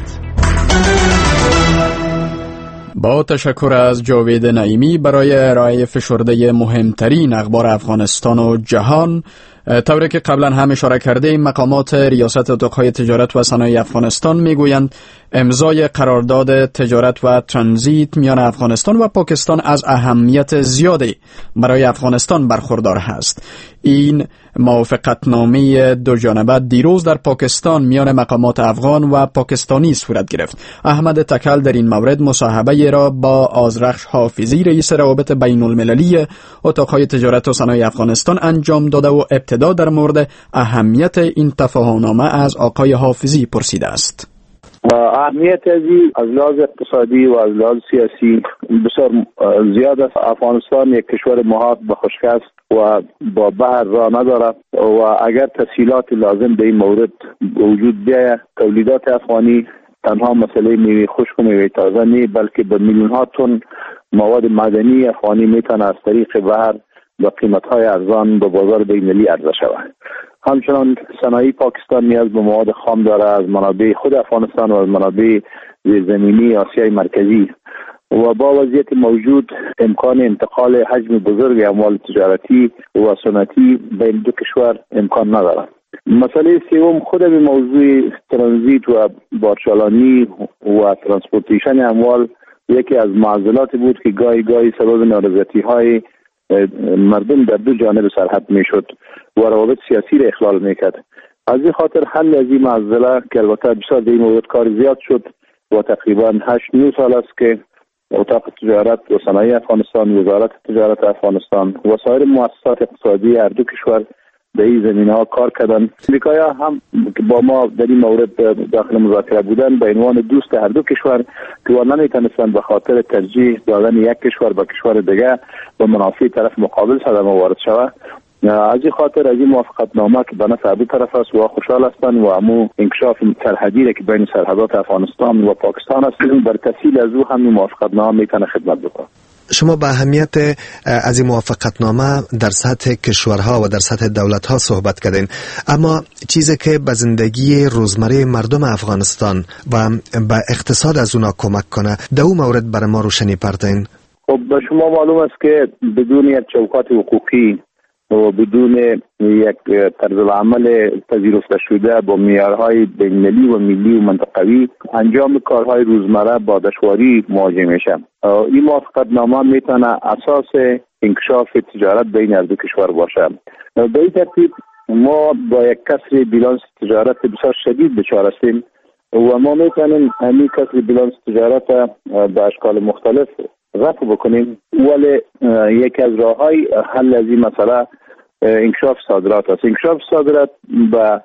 با تشکر از جاوید نعیمی برای ارائه فشرده مهمترین اخبار افغانستان و جهان. طوری که قبلا هم اشاره کرده، مقامات ریاست اتاق‌های تجارت و صنایع افغانستان میگویند امضای قرارداد تجارت و ترانزیت میان افغانستان و پاکستان از اهمیت زیادی برای افغانستان برخوردار است. این موافقتنامه دو جانبه دیروز در پاکستان میان مقامات افغان و پاکستانی صورت گرفت. احمد تکل در این مورد مصاحبه را با آذرخش حافظی رئیس روابط بین المللی اتاق‌های تجارت و صنایع افغانستان انجام داده و ابتدا در مورد اهمیت این تفاهمنامه از آقای حافظی پرسیده است.
اهمیت از لحاظ اقتصادی و از لحاظ سیاسی بسیار زیاد است. افغانستان یک کشور محاط به خشک است و با بحر راه ندارد و اگر تسهیلات لازم به این مورد وجود بیاید، تولیدات افغانی تنها مسئله میوه خشک و میوه تازه نه، بلکه به میلیون ها تن مواد معدنی افغانی میتونه از طریق بحر با قیمت های ارزان به بازار بین‌المللی عرضه شود. همچنان صنایع پاکستان نیاز به مواد خام داره از منابع خود افغانستان و از منابع زیرزمینی آسیای مرکزی و با وضعیت موجود امکان انتقال حجم بزرگ اموال تجارتی و صنعتی بین دو کشور امکان ندارد. مسئله سوم خود به موضوع ترانزیت و بارچالانی و transportation اموال یکی از معضلات بود که گاهی گاهی سبب نارضایتی های مردم در دو جانب سرحد میشد و روابط سیاسی را اخلال میکرد. از این خاطر حل از این معضله که البته بسیار در این مورد کار زیاد شد و تقریبا 8-9 سال است که اتاق تجارت و صنایع افغانستان، وزارت تجارت افغانستان و سایر مؤسسات اقتصادی هر دو کشور در این زمینه ها کار کردن. امریکایی‌ها هم با ما در این مورد داخل مذاکره بودن به عنوان دوست هر دو کشور که نمیتونستند به خاطر ترجیح دادن یک کشور به کشور دیگه به منافع طرف مقابل صدمه وارد شود.
از این خاطر از این موافقت نامه که به نفع دو طرف است و خوشحال هستند و امو انکشاف سرحدی که بین سرحدات افغانستان و پاکستان است، بر تسهیل از او هم موافقت نامه میتونه خدمت بکنه.
شما به اهمیت از این موافقتنامه در سطح کشورها و در سطح دولتها صحبت کردین، اما چیزی که به زندگی روزمره مردم افغانستان و به اقتصاد از اونا کمک کنه، در اون مورد برای ما روشنی پرتین.
خب به شما معلوم است که بدون یک چوکات حقوقی و بدون یک طرز العمل پذیرفته شده با معیارهای بین‌المللی و ملی و منطقوی، انجام کارهای روزمره با دشواری مواجه میشه. این موافقت نامه میتونه اساس انکشاف تجارت بین هر دو کشور باشه. به این ترتیب ما با یک کسر بیلانس تجارت بسیار شدید دچار هستیم و ما میتونیم همین کسر بیلانس تجارت به اشکال مختلف رفع بکنیم، ولی یکی از راه‌های حل از این مسئله انکشاف صادرات است. انکشاف صادرات به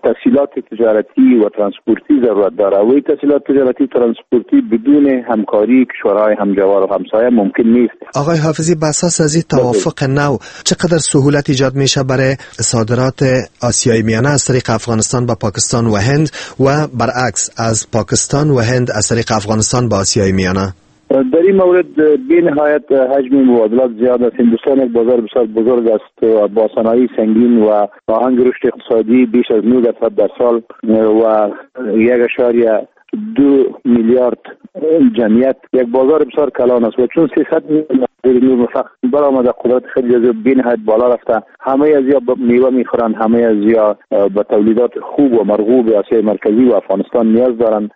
تسهیلات تجارتی و ترانسپورتی ضرورت داره و این تسهیلات تجارتی و ترانسپورتی بدون همکاری کشورهای همجوار و همسایه ممکن نیست.
آقای حافظی، به اساس از این توافق نو چقدر سهولت ایجاد میشه برای صادرات آسیای میانه از طریق افغانستان به پاکستان و هند و برعکس از پاکستان و هند از طریق افغانستان به آسیای میانه؟
در این مورد بی نهایت حجم مبادلات زیاد است. هندوستان یک بازار بسیار بزرگ است و با صنایع سنگین و آهنگ رشد اقتصادی بیش از 9% در سال و 1.2 میلیارد جمعیت، یک بازار بسیار کلان است و چون 300 میلیون فقط برآمده، قدرت خرید از بی نهایت بالا رفته. همه از یا میوه میخورند، همه از یا به تولیدات خوب و مرغوب آسیای مرکزی و افغانستان نیاز دارند.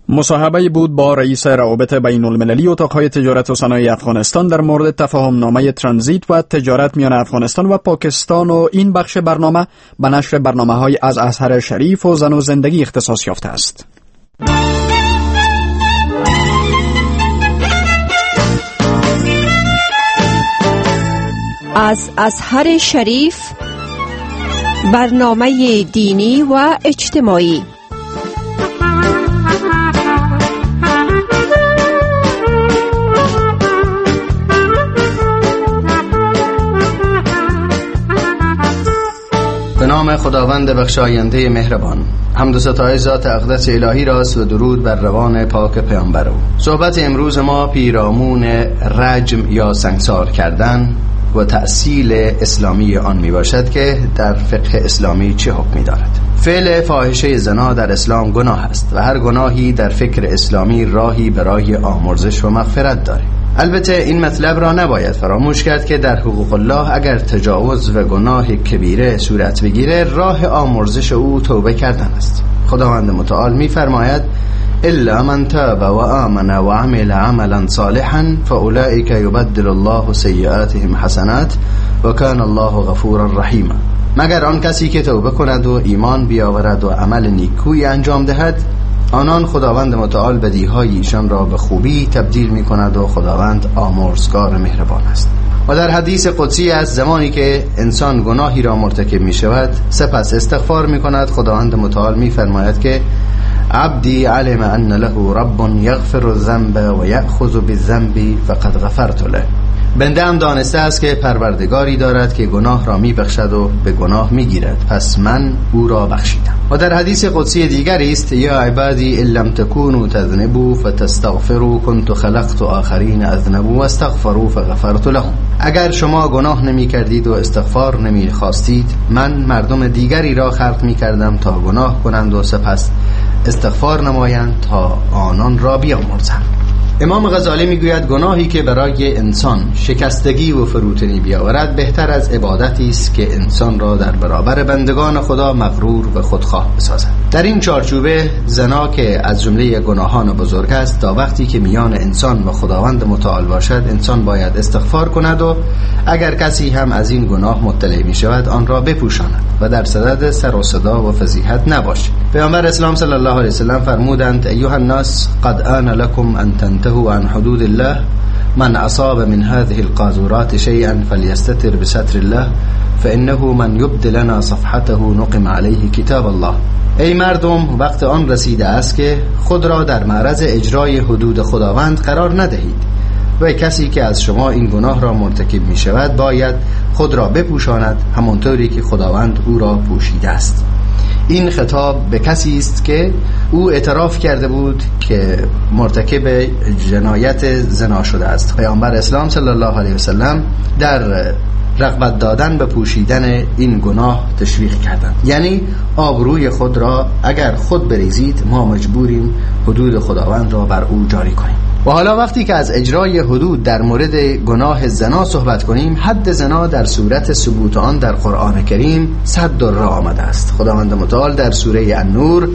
مصاحبه بود با رئیس روابط بین المللی اتاقهای تجارت و صنایع افغانستان در مورد تفاهم نامه ترانزیت و تجارت میان افغانستان و پاکستان. و این بخش برنامه به نشر برنامه‌های از ازهر شریف و زن و زندگی اختصاص یافته است.
از ازهر شریف، برنامه دینی و اجتماعی.
به نام خداوند بخشاینده مهربان. حمد و ستایش ذات اقدس الهی راست و درود بر روان پاک پیامبر او. صحبت امروز ما پیرامون رجم یا سنگسار کردن و تأصیل اسلامی آن می باشد که در فقه اسلامی چه حکمی دارد. فعل فاحشه زنا در اسلام گناه است و هر گناهی در فکر اسلامی راهی برای آمرزش و مغفرت دارد. البته این مطلب را نباید فراموش کرد که در حقوق الله اگر تجاوز و گناه کبیره صورت بگیره، راه آمرزش او توبه کردن است. خداوند متعال می‌فرماید: الا من تاب و آمن و عمل عملا صالحا فاولئک یبدل الله سیئاتهم حسنات و کان الله غفورا رحیما. مگر آن کسی که توبه کند و ایمان بیاورد و عمل نیکویی انجام دهد، آنان خداوند متعال بدیهای ایشان را به خوبی تبدیل می کند و خداوند آمرزگار مهربان است. و در حدیث قدسی از زمانی که انسان گناهی را مرتکب می شود سپس استغفار می کند، خداوند متعال می فرماید که عبدی علم ان له رب یغفر الذنب و یأخذ بالذنب فقد غفرت له. بنده هم دانسته است که پروردگاری دارد که گناه را می بخشد و به گناه می گیرد، پس من او را بخشیدم. و در حدیث قدسی دیگری است: یا عبادی ان لم تکونوا تذنبوا فتستغفروا كنت خلقت آخرین اذنبوا واستغفروا فغفرت لهم. اگر شما گناه نمی کردید و استغفار نمی خواستید، من مردم دیگری را خلق می کردم تا گناه کنند و سپس استغفار نمایند تا آنان را بیامرزم. امام غزالی میگوید گناهی که برای انسان شکستگی و فروتنی بیاورد بهتر از عبادتی است که انسان را در برابر بندگان خدا مغرور و خودخواه بسازد. در این چارچوبه زنا که از جمله گناهان بزرگ است، تا وقتی که میان انسان و خداوند متعال باشد انسان باید استغفار کند و اگر کسی هم از این گناه مطلع می شود آن را بپوشاند و در صدد سر و صدا و فضیحت نباشد. پیامبر اسلام صلی الله علیه و سلم فرمودند: ایها الناس قد آن لكم ان تنتهوا عن حدود الله، من اصاب من هذه القاذورات شيئا فليستتر بستر الله فانه من يبد لنا صفحته نقم عليه کتاب الله. ای مردم، وقت آن رسیده است که خود را در معرض اجرای حدود خداوند قرار ندهید. و کسی که از شما این گناه را مرتکب می شود باید خود را بپوشاند، همانطوری که خداوند او را پوشیده است. این خطاب به کسی است که او اعتراف کرده بود که مرتکب جنایت زنا شده است. پیامبر اسلام صلی الله علیه وسلم در رغبت دادن به پوشیدن این گناه تشویق کردند، یعنی آبروی خود را اگر خود بریزید ما مجبوریم حدود خداوند را بر او جاری کنیم. و حالا وقتی که از اجرای حدود در مورد گناه زنا صحبت کنیم، حد زنا در صورت ثبوت آن در قرآن کریم 100 دره آمده است. خداوند متعال در سوره النور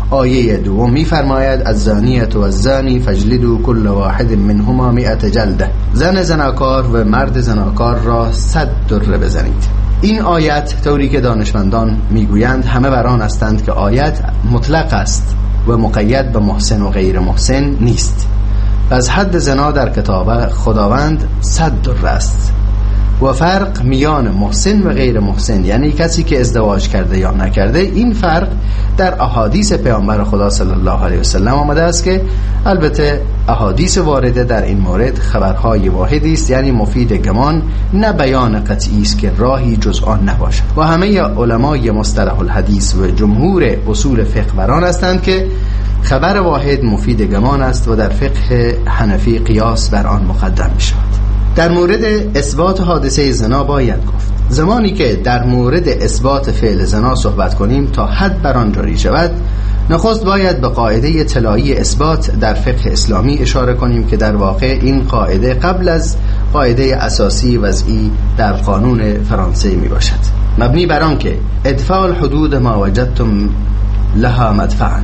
آیه 2 می‌فرماید: الزانیة و الزانی فاجلدوا کل واحد منهما 100 جلده. زن زناکار و مرد زناکار را 100 دره بزنید. این آیت طوری که دانشمندان میگویند همه بر آن هستند که آیت مطلق است و مقید به محسن و غیر محسن نیست. پس حد زنا در کتاب خداوند 100 دره است و فرق میان محسن و غیر محسن، یعنی کسی که ازدواج کرده یا نکرده، این فرق در احادیث پیامبر خدا صلی الله علیه وسلم آمده است که البته احادیث وارده در این مورد خبرهای واحدی است، یعنی مفید گمان، نه بیان قطعی است که راهی جز آن نباشد. و همه علمای مصطلح الحدیث و جمهور اصول فقه بر آن هستند که خبر واحد مفید گمان است و در فقه حنفی قیاس بر آن مقدم می شود. در مورد اثبات حادثه زنا باید گفت زمانی که در مورد اثبات فعل زنا صحبت کنیم تا حد بر آن جاری شود، نخست باید به قاعده طلایی اثبات در فقه اسلامی اشاره کنیم که در واقع این قاعده قبل از قاعده اساسی وضعی در قانون فرانسه می باشد، مبنی بر آن که ادفاع الحدود ما وجدتم لها مدفعا،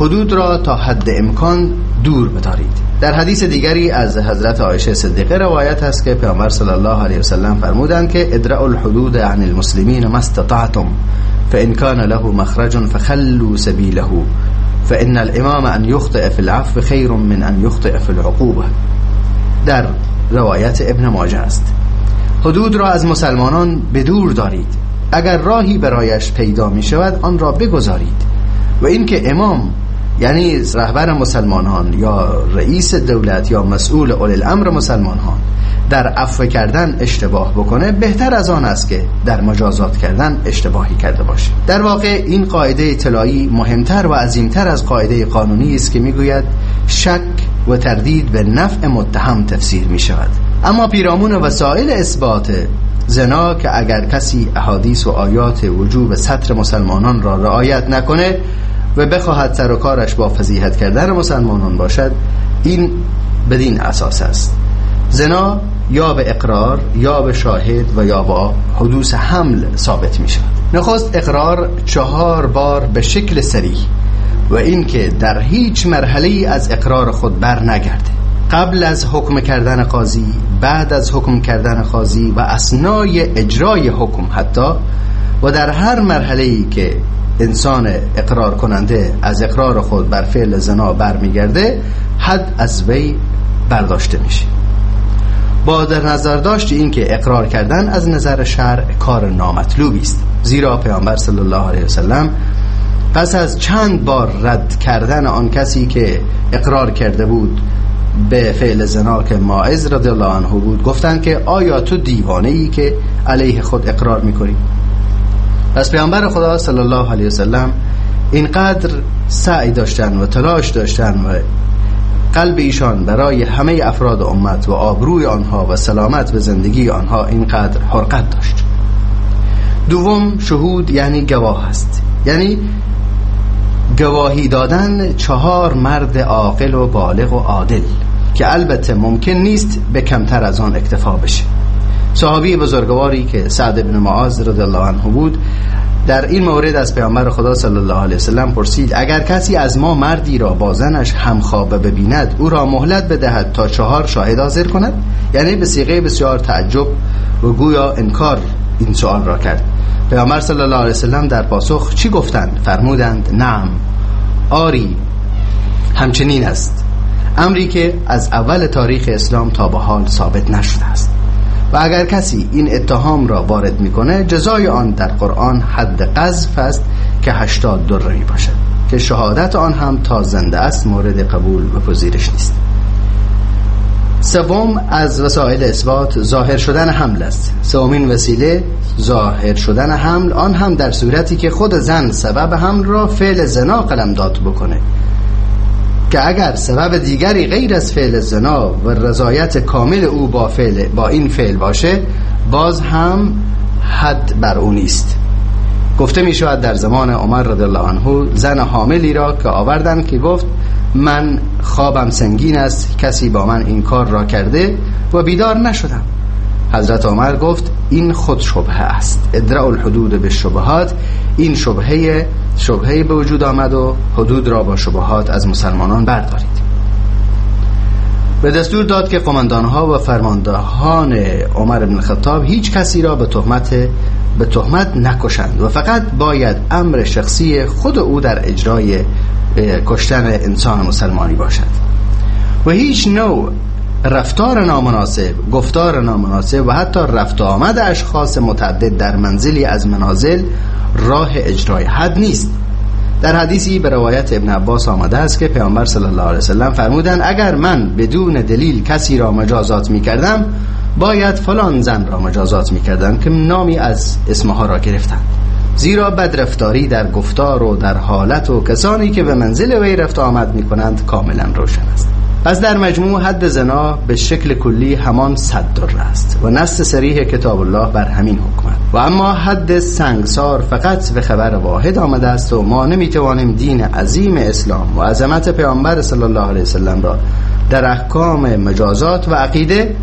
حدود را تا حد امکان دور بدارید. در حدیث دیگری از حضرت عایشه صدیقه روایت هست که پیامبر صلی الله علیه وسلم فرمودند که ادرأوا الحدود عن المسلمین ما استطعتم فإن كان له مخرج فخلوا سبیله فإن الامام ان یخطئ فی العفو خیر من ان یخطئ فی العقوبه. در روایت ابن ماجه است. حدود را از مسلمانان بدور دارید، اگر راهی برایش پیدا می شود آن را بگذارید. و اینکه امام یعنی رهبر مسلمانان یا رئیس دولت یا مسئول اولی الامر مسلمانان در عفو کردن اشتباه بکنه، بهتر از آن است که در مجازات کردن اشتباهی کرده باشه. در واقع این قاعده طلایی مهمتر و عظیمتر از قاعده قانونی است که میگوید شک و تردید به نفع متهم تفسیر می شود. اما پیرامون وسایل اثبات زنا که اگر کسی احادیث و آیات وجوب ستر مسلمانان را رعایت نکنه و بخواهد سر و کارش با فضیحت کردن مسلمانان باشد، این بدین اساس است: زنا یا به اقرار یا به شاهد و یا با حدوث حمل ثابت می شود. نخست اقرار 4 بار به شکل صریح و اینکه در هیچ مرحله‌ای از اقرار خود بر نگرده، قبل از حکم کردن قاضی، بعد از حکم کردن قاضی و اثنای اجرای حکم حتی، و در هر مرحله‌ای که انسان اقرار کننده از اقرار خود بر فعل زنا برمیگرده، حد از وی برداشته میشه. با در نظر داشت این که اقرار کردن از نظر شرع کار نامطلوبی است، زیرا پیامبر صلی الله علیه وسلم پس از چند بار رد کردن آن کسی که اقرار کرده بود به فعل زنا که ماعز رضی الله عنه بود، گفتند که آیا تو دیوانه ای که علیه خود اقرار میکنی؟ پس پیامبر خدا صلی الله علیه وسلم اینقدر سعی داشتن و تلاش داشتن و قلب ایشان برای همه افراد امت و آبروی آنها و سلامت و زندگی آنها اینقدر حرقت داشت. دوم، شهود یعنی گواه است، یعنی گواهی دادن 4 مرد عاقل و بالغ و عادل که البته ممکن نیست به کمتر از آن اکتفا بشه. صحابی بزرگواری که سعد بن معاذ رضی الله عنه بود در این مورد از پیامبر خدا صلی الله علیه وسلم پرسید اگر کسی از ما مردی را با زنش همخوابه ببیند او را مهلت بدهد تا 4 شاهد حاضر کند؟ یعنی به صیغه بسیار تعجب و گویا انکار این سوال را کرد. پیامبر صلی الله علیه وسلم در پاسخ چی گفتند؟ فرمودند نعم، آری، همچنین است، امری که از اول تاریخ اسلام تا به حال ثابت نشده است. و اگر کسی این اتهام را وارد میکنه جزای آن در قرآن حد قذف است که 80 دره می باشد که شهادت آن هم تا زنده است مورد قبول و پذیرش نیست. سوم از وسایل اثبات ظاهر شدن حمل است. سومین وسیله ظاهر شدن حمل، آن هم در صورتی که خود زن سبب حمل را فعل زنا قلمداد بکنه، که اگر سبب دیگری غیر از فعل زنا و رضایت کامل او با این فعل باشه، باز هم حد بر او نیست. گفته می شود در زمان عمر رضی الله عنه زن حاملی را که آوردن که گفت من خوابم سنگین است، کسی با من این کار را کرده و بیدار نشدم. حضرت عمر گفت این خود شبهه است، ادراء الحدود به شبهات. این شبهه به وجود آمد و حدود را با شبهات از مسلمانان بردارید. به دستور داد که قماندانها و فرماندهان عمر بن الخطاب هیچ کسی را به تهمت نکشند و فقط باید امر شخصی خود او در اجرای کشتن انسان مسلمانی باشد و هیچ نوع رفتار نامناسب، گفتار نامناسب و حتی رفت آمد اشخاص متعدد در منزلی از منازل راه اجرای حد نیست. در حدیثی به روایت ابن عباس آمده است که پیامبر صلی الله علیه وسلم فرمودند اگر من بدون دلیل کسی را مجازات می کردم، باید فلان زن را مجازات می کردم که نامی از اسمها را گرفتند، زیرا بدرفتاری در گفتار و در حالت و کسانی که به منزل وی رفت آمد می کنند کاملا روشن است. پس در مجموع حد زنا به شکل کلی همان 100 دره است و نص صریح کتاب الله بر همین حکم است. و اما حد سنگسار فقط به خبر واحد آمده است و ما نمیتوانیم دین عظیم اسلام و عظمت پیامبر صلی الله علیه وسلم را در احکام مجازات و عقیده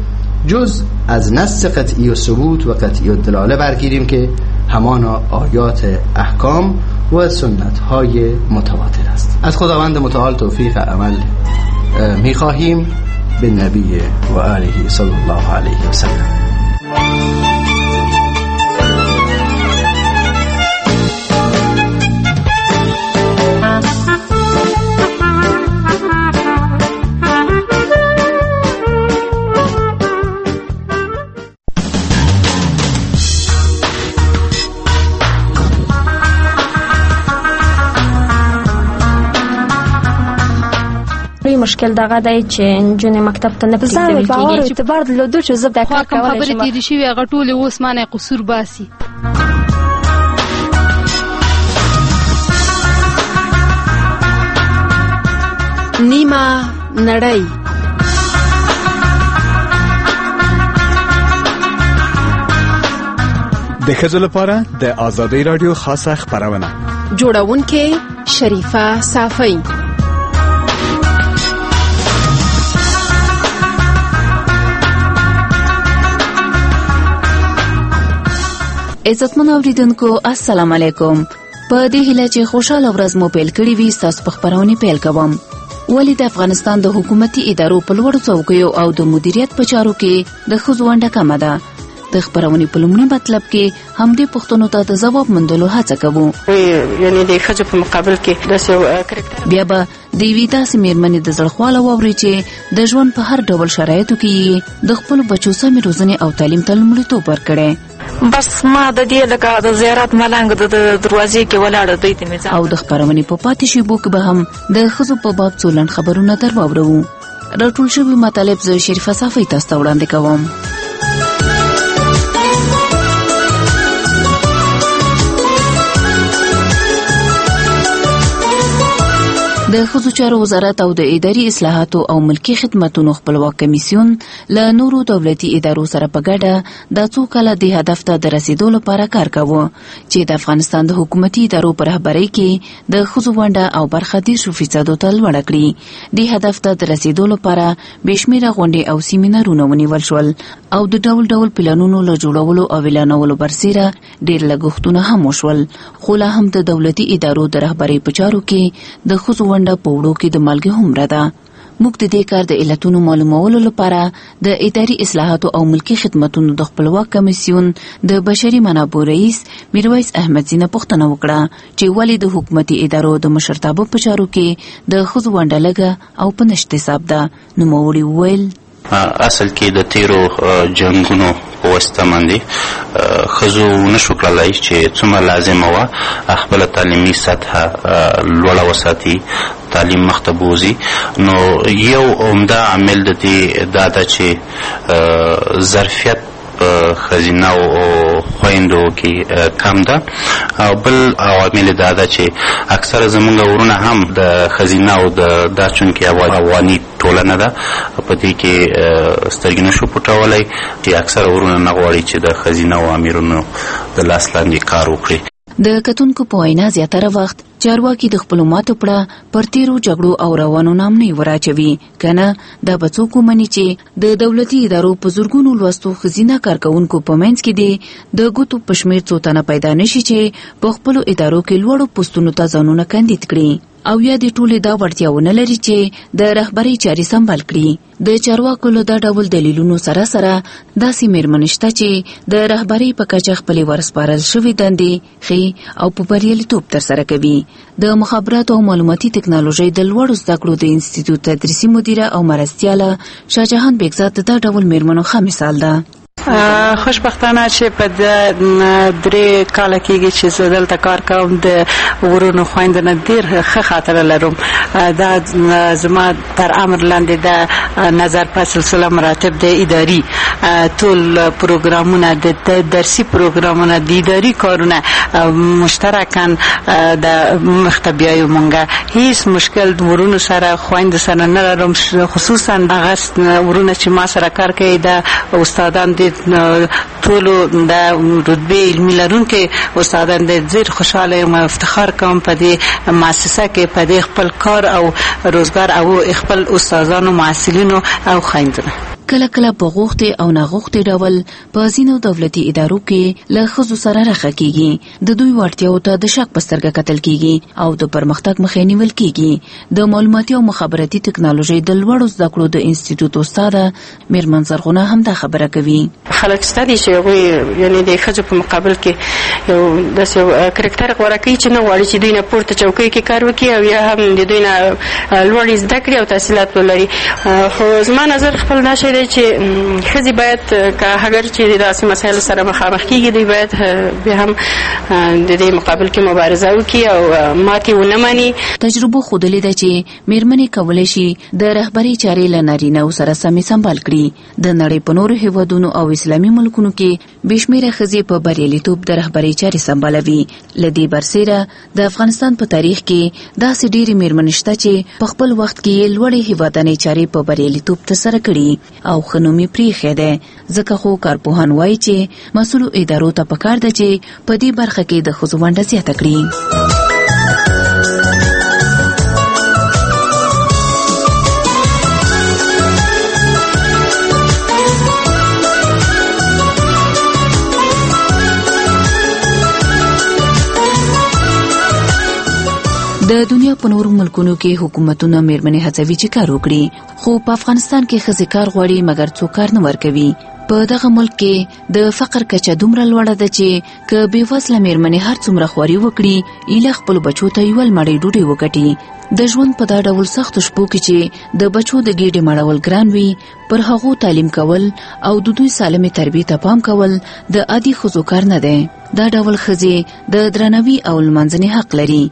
جز از نص قطعی و ثبوت و قطعی و دلاله برگیریم که همانا آیات احکام و سنت های متواتر است. از خداوند متعال توفیق عمل میخواهیم. به نبی و آله صلی الله علیه و سلم.
مشکل دغه دی چې نجونې مکتب ته نه پرېږدول کېږي.
اعتبار درلودو چې زه دا کار کولی شم.
خبرې تېرې شوې هغه ټولې اوس مانه قصور باسي.
نیمه نړۍ.
د ښځو لپاره د ازادۍ راډیو خاصه خپرونه.
جوړونکې شریفه صافۍ.
عزتمن اوریدونکو السلام علیکم. په دې هیله چې خوشاله ورځ مو پیل کړې وي، ستاسو په خپرونې پیل کوم. ولې د افغانستان د حکومتي ادارو په لوړو څوکیو او د مدیریت په چارو کې د ښځو ونډه کمه ده؟ د خپرونې په لومړي مطلب کې همدې پوښتنو ته د ځواب موندلو هڅه کوو.
یعنی د ښځو په مقابل کې داسې کرکټر
بیا به د یوې داسې مېرمنې د زړه خواله واوري چې د ژوند په هر ډول شرایطو کې یې د خپلو بچو سمې روزنې او تعلیم ته لومړیتوب ورکړی.
بس ما د دې لکه د زیارت ملنګ د دروازې کې ولاړه دوی ته مې ځان. او
د خپرونې په پاتې شیبو کې به هم د ښځو په باب څو لنډ خبرونه در واوروو. راټول شوي مطالب زه شریفه صافۍ تاسو ته وړاندې کوم. د ښځو چارو وزارت او د اداري اصلاحاتو او ملکي خدمتونو خپلواک کمیسیون له نورو دولتي ادارو سره په ګډه دا څو کاله دې هدف ته د رسېدو لپاره کار کاوه چې د افغانستان د حکومتي ادارو په رهبرۍ کې د ښځو ونډه او برخه 30% ته لوړه کړي. دې هدف ته د رسېدو لپاره بې شمېره غونډې او سیمینارونه ونیول شول او د ډول ډول پلانونو له جوړولو او اعلانولو برسېره ډېر لګښتونه هم وشول، خو لا هم د دولتي ادارو د رهبرۍ په چارو کې د ښځو ونډه په وړو کې د مالګې هومره ده. موږ د دې کار د علتونو معلومولو لپاره د اداري اصلاحاتو او ملکي خدمتونو د خپلواک کمیسیون د بشري منابعو رئیس میرویس احمدزي نه پوښتنه وکړه چې ولې د حکومتي ادارو د مشرتابه په چارو کې د ښځو ونډه لږه او په نشت حساب ده. نوموړي وویل:
اصل کې د تیرو جنګونو په واسطه باندې ښځو ونشو کړلی چې څومره لازمه وه خپله تعلیمي سطحه لوړه وساتي تعلیم مخته بوځي. نو یو عمده عامل د دې دا ده چې ظرفیت په ښځینه او خویندو کې کم ده، او بل عوامل دا ده چې اکثره زمونږ ورونه هم د ښځینه او د دا چونکې افغاني ټولنه ده، په دې کې سترګې نه شو پټولی چې اکثره ورونه نه غواړي چې د ښځینه او امیرونو د لاس لاندې کار وکړي.
د کتونکو په وینا زیاتره وخت چارواکي د خپلو ماتو پړه پر تیرو جګړو او روانو ناامنیو وراچوي، که نه دا به څوک ومني چې د دولتي ادارو په زرګونو لوستو ښځینه کارکوونکو په منځ کې دې د ګوتو په شمېر څو تنه پیدا نشي چې په خپلو ادارو کې لوړو پوستونو ته ځانونه کاندید کړي، او یا دې ټولې دا وړتیا ونه لري چې د رهبرۍ چارې سمبال کړي. د چارواکو له دا ډول دلیلونو سره سره داسې مېرمنې شته چې د رهبرۍ په کچه خپلې ورسپارل شوې دندې ښې او په بریالیتوب ترسره کوي. د مخابراتو او معلوماتي تکنالوژۍ د لوړو زده کړو د انستیتوت تدریسي مدیره او مرستیاله شاه جهان بیګزاد د دا ډول مېرمنو ښه مثال ده.
خوشبختانه چې په 3 کاله کېږي چې زه دلته کار کوم، د ورونو خویندو نه ډېر ښه خاطره لرم. دا زما تر امر لاندې د نظر په سلسله مراتب د اداري ټول پروګرامونه، د درسي پروګرامونه، د اداري کارونه مشترکاً د مخته بیایو. مونږه هیڅ مشکل د ورونو سره خویندو سره نه لرم، خصوصا هغه ورونه چې ما سره کار کوي، د استادان د ټولو د رتبې علمي لرونکي استادان د ډېر خوشحاله یم او افتخار کوم په دې مؤسسه کې، په دې خپل کار او روزګار او خپل استادانو، محصلینو او خویندو.
کله کله په غوښتې او ناغوښتې ډول په ځینو دولتي ادارو کې له ښځو سره رخه کیږي، د دوی وړتیاو ته د شک په سترګه کتل کیږي او د پرمختګ مخه نیول کیږي. د معلوماتي او مخابراتي تکنالوژۍ د لوړو زده کړو د انستیتوت استاده میرمن زرغونه هم دا خبره کوي.
خلک شته دي چې هغوی یعنې د ښځو په مقابل کې یو داسې یو کرکټر غوره کوي چې نه غواړي چې دوی نه پورته چوکۍ کې کار وکړي او یا هم د دوی نه لوړې زده کړې او تحصیلات ولري. خو زما نظر خپل دا شی دی چې ښځې باید که اګر چې داسې مسایلو سره مخامخ کېږي، دوی باید بیا هم د دې مقابل کې مبارزه وکړي او ماتې ونه مني.
تجربو ښودلې ده چې مېرمنې کولی شي د رهبرۍ چارې له نارینه سره سمې سمبال کړي. د نړۍ په نورو هیوادونو او اسلامي ملکونو کې بې شمېره ښځې په بریالیتوب د رهبرۍ چارې سمبالوي. له دې برسېره د افغانستان په تاریخ کې داسې ډېرې مېرمنې شته چې په خپل وخت کې یې لوړې هیوادنۍ چارې په بریالیتوب ترسره کړي او ښه نوم یې پرېښی دی. ځکه خو کارپوهان وایي چې مسؤلو ادارو ته پکار ده چې په دې برخه کې د ښځو ونډه زیاته کړي. د دنیا په نورو ملکونو کې حکومتونه مېرمنې هڅوي چې کار وکړي، خو په افغانستان کې ښځې کار غواړي مګر څوک کار نه ورکوي. په دغه ملک کې د فقر کچه دومره لوړه ده چې که بېوزله مېرمنې هر څومره خواري وکړي، ایله خپلو بچو ته یوه مړۍ ډوډۍ وګټي. د ژوند په دا ډول سختو شپو کې چې د بچو د ګېډې مړول ګران وي، پر هغو تعلیم کول او د دوی سالمې تربیې ته پام کول د عادي ښځو کار نه دی. دا ډول ښځې د درناوي او لمانځنې حق لري.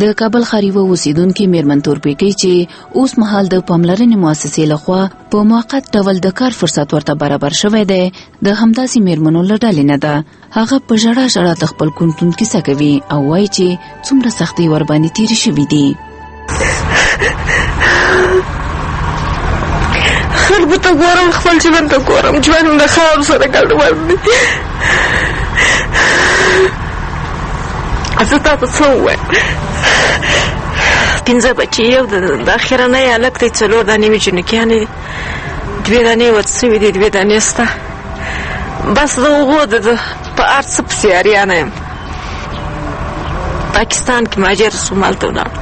د کابل ښار یوه اوسېدونکې مېرمن تورپېکۍ چې اوس مهال د پاملرنې مؤسسې لخوا په موقت ډول د کار فرصت ورته برابر شوی دی، د همداسې مېرمنو له ډلې نه ده. هغه په ژړا ژړا د خپل کونتون کیسه کوي او وایي چې څومره سختۍ ورباندې تېرې شوې دي.
خلکو ته ګورم، خپل ژوند ته ګورم، ژوند د خاورو سره ګډوډ دی. زه تا ته څه ووایم؟ 5 بچي، یو د اخرنی هلک دی، 4 دانې مې جنکیانې دي، 2 دانې ورت شوې دي، 2 دانې شته. بس د هغو د په هر څه پسې اریانه یم. پاکستان کې مهاجر شوم، هلته ولاړم.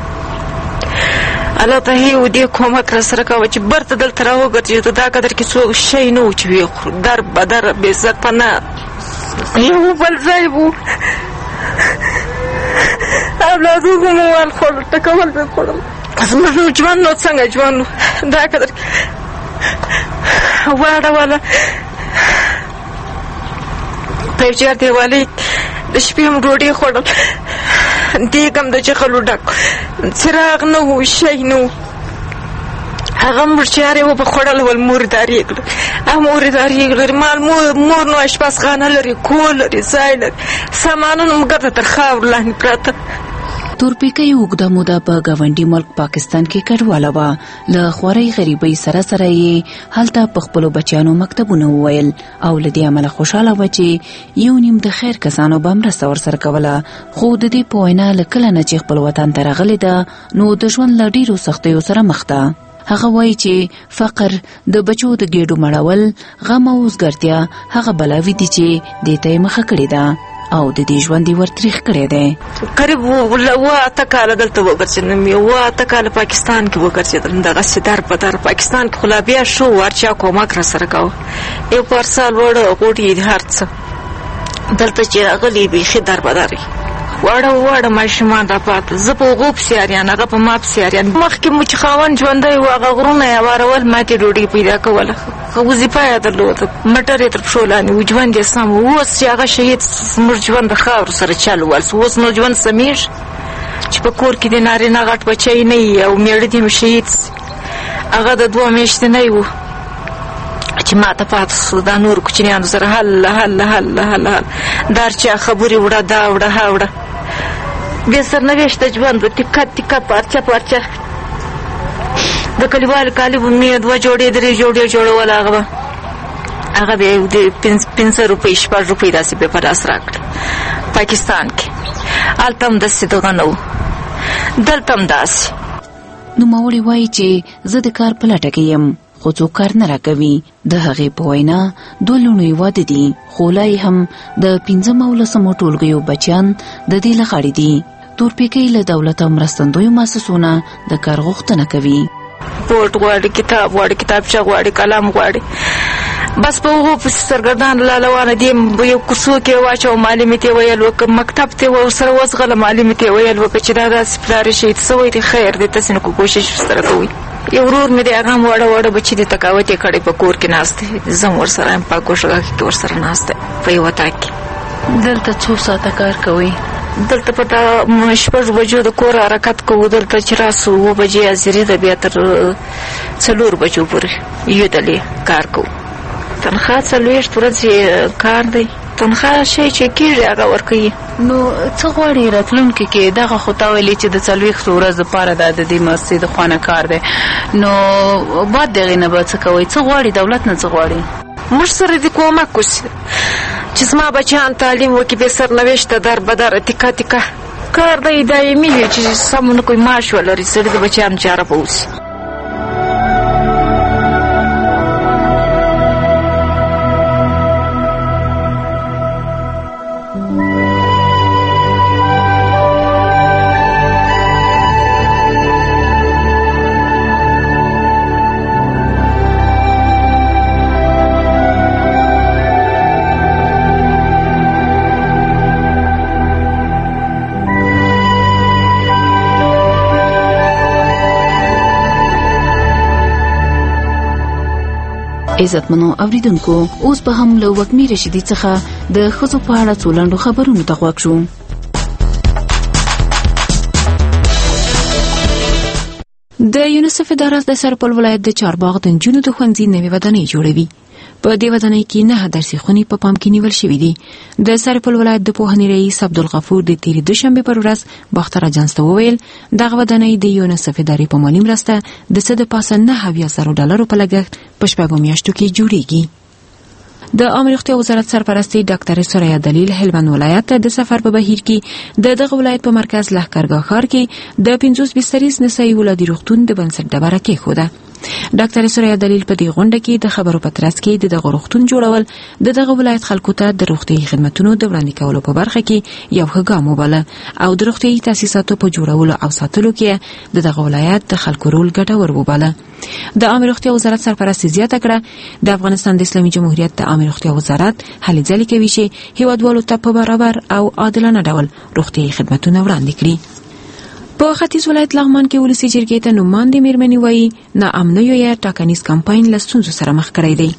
الله ته یې ودې کومک را سره کوه چې بیرته دلته راوګرځېدو. دا قدر کې څوک شی نه و چې ویې خورو، در بدر بې سرپناه یو بل ځای و. اولادونو مو وال خوړل، ټکول مې خوړل. زموږ نو ژوند نو څنګه ژوند و؟ دا قدر واړوله په یو چار دیوالۍ د شپې هم ډوډۍ خوړل. دیګ هم د چغلو ډک، څراغ نه و، شی نه و. هغه مرچارې وبه خوړل ول، مور دارې کړل، هغه مور دارې کړل. مال مور نو اشپزخانه لري، کور لري، ځای لري، سامانونه مو ګرده تر خاورو لاندې پراته.
تورپیکۍ اوږده موده په ګاونډي ملک پاکستان کې کډواله وه. له خوارۍ غریبۍ سره سره یې هلته په خپلو بچیانو مکتبونه وویل او له دې امله خوشحاله وه چې یو نیم د خیر کسانو به مرسته ورسره کوله. خو د دې په وینا له کله نه چې خپل وطن ته راغلې ده نو د ژوند له ډیرو سختیو سره مخ ده. هغه وایي چې فقر، د بچو د ګېډو مړول، غم او وزګارتیا هغه بلاوې دي چې دې ته یې مخه کړې ده او د دې ژوند یې ورتریخ کړی دی.
قریب 8 کاله دلته وګرځېدم، 8 کاله پاکستان کې وګرځېدم، دغسې در په در پاکستان کې. خو لا بیا ښه و، هر چا کومک راسره کاوه، یو پارسال وړه غوټې هر څه. دلته چې راغلي بیخي در په در، واړه واړه ماشومان را پاته، زه په هغو پسې اریان، هغه په ما پسې اریان. مخکې مو چې خاوند ژوندی و هغه غرونه یې هوارول، ما ترې ډوډۍ پیدا کوله، ښه وظیفه یې درلوده، موټر یې تر پښو لاندې و، ژوند یې سم و. اوس چې هغه شهید زموږ ژوند د خاورو سره چل وهل سو، اوس نو ژوند سمېږي چې په کور کې د نارینه غټ بچی نه وي او مېړه دې هم شهید سي. هغه د 2 میاشتې نه و چې ما ته پاتې سو، دا نور کوچنیانو سره هله هله هله هله هله د هر چا خبرې وړه، دا وړه، ها وړه، بې سرنوشته ژوند و، تکه تکه پارچه پارچه. د کلیوالو کالي به مې 2 جوړې 3 جوړې جوړول، هغه به 5 روپۍ 6 روپۍ داسې به په لاس راکړل. پاکستان کې هلته هم داسې دغه نه و، دلته هم داسې.
نوموړې وایي چې زه د کار په لټه کې یم خو څوک کار نه راکوي. د هغې په وینا 2 لوڼو یې واده دي خو لا یې هم د 5 او 10 ټولګیو بچیان د دې له غاړې دي. تورپیکۍ له دولت او مرستندویو مؤسسو نه د کار غوښتنه کوي.
بوټ غواړي، کتاب غواړي، کتابچه غواړي، قلم غواړي، بس په هغو پسې سرګردان لا روانه دي. یو کوڅو کې واچوه، معلمې ته یې ویل وکړه، مکتب ته ورسره وځغله، معلمې ته یې ویل وکړه چې دا داسې پلار یې شهید سوی دی، خیر دی، تاسې نو کوشش ورسره کوئ. یو ورور مې دی، هغه هم واړه واړه بچي دي، تقاوت یې کړی، په کور کې ناست دی، زه هم ورسره یم، په کوښښ کې ورسره ناست دی په یو اطاق کې.
دلته څو ساعته کار کوئ؟
دلته په دا 6 بجو د کور حرکت کوو، دلته چې راسو 7 بجې حاضري ده، بیا تر 4 بجو پورې یو دلې کار کوو. تنخوا 40 ورځې کار دی، تنخوا شی چې کېږي هغه ورکوي.
نو څه غواړي راتلونکي کې؟ دغه خو تا ویلې چې د 40 ورځو لپاره دا د دې مؤسسې د خوا نه کار دی، نو بعد دغې نه به څه کوئ؟ څه غواړي دولت نه، څه غواړي؟
موږ سره دې کومک وشي چې زما بچیان تعلیم وکړي، بې سرنوشته در به در تکه تکه کار دی، دایمي وي چې سم نه کوي، معاش ولري، سړي د بچیانو چاره به وشي.
عزتمنو اوریدونکو، اوس به هم له وږمې رشیدي څخه د ښځو په اړه څو لنډو خبرونو ته غوږ شو.
د یونیسف اداره د سرپل ولایت د چارباغ د نجونو د ښوونځي نوې ودانۍ جوړوي. په دې ودانۍ کې 9 درسي خونې په پام کې نیول شوې دي. د سرپل ولایت د پوهنې رئیس عبدالغفور د تېرې دوشنبې پر ورځ باختر اژانس ته وویل، دغه ودانۍ د یونیسف ادارې په مالي مرسته د څه د پاسه $79,000 په لګښت په 6 میاشتو کې جوړیږي. د عامې روغتیا وزارت سرپرستې ډاکټر ثریا دلیل هلمند ولایت ته د سفر په بهیر کې د دغه ولایت په مرکز لښکرګاه ښار کې د 50 بستریز نسایي ولادي روغتون د بنسټ ډبره کېښوده. ډاکټر ثریا دلیل په دې غونډه کې د خبرو په ترڅ کې د دغه روغتون جوړول د دغه ولایت خلکو ته د روغتیايي خدمتونو د وړاندې کولو په برخه کې یو ښه ګام وباله او د روغتیايي تاسیساتو په جوړولو او ساتلو کې د دغه ولایت د خلکو رول ګټور وباله. د عامې روغتیا وزارت سرپرست زیاته کړه، د افغانستان د اسلامي جمهوریت د عامې روغتیا وزارت هلې ځلې کوي چې هیوادوالو ته په برابر او عادلانه ډول روغتیايي خدمتونه وړاندې کړي. په ختیځ ولایت لغمان کې ولسي جرګې ته نوماندې میرمنې وایي، ناامنیو یې ټاکنیز کمپاین له ستونزو سره مخ کړی دی.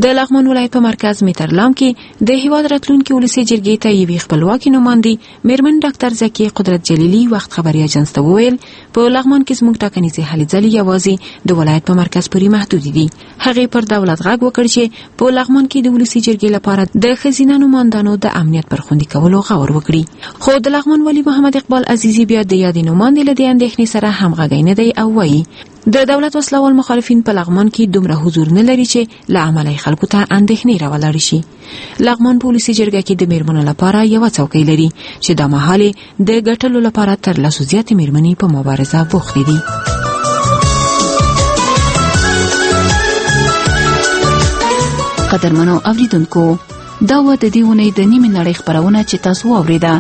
د لغمان ولایت په مرکز میترلام کې د هیواد راتلونکي ولسي جرګې ته یوې خپلواکې نوماندې میرمن ډاکټر ذکیې قدرت جلیلي وخت خبري اژانس ته وویل، په لغمان کې زموږ ټاکنیزې هلې ځلې یوازې د ولایت په مرکز پورې محدودې دي. هغې پر دولت غږ وکړ چې په لغمان کې د ولسي جرګې لپاره د ښځینه نوماندانو د امنیت پر خوندي کولو غور وکړي. خو د لغمان والي محمد اقبال عزیزي بیا د یادې نوماندې له دې اندېښنې سره همغږی نه دی او وایي د دولت وسلهوال مخالفین په لغمان کې دومره حضور نه لري چې له امله یې خلکو ته اندېښنې راولاړې شي. لغمان په ولسي جرګه کې د میرمنو لپاره یوه څوکۍ لري چې دا مهال یې د ګټلو لپاره تر لسو زیاتې میرمنې په مبارزه بوختې دي.
قدرمنو اوریدونکو، دا وه د دې اونۍ د نیمې نړۍ خپرونه چې تاسو واورېده.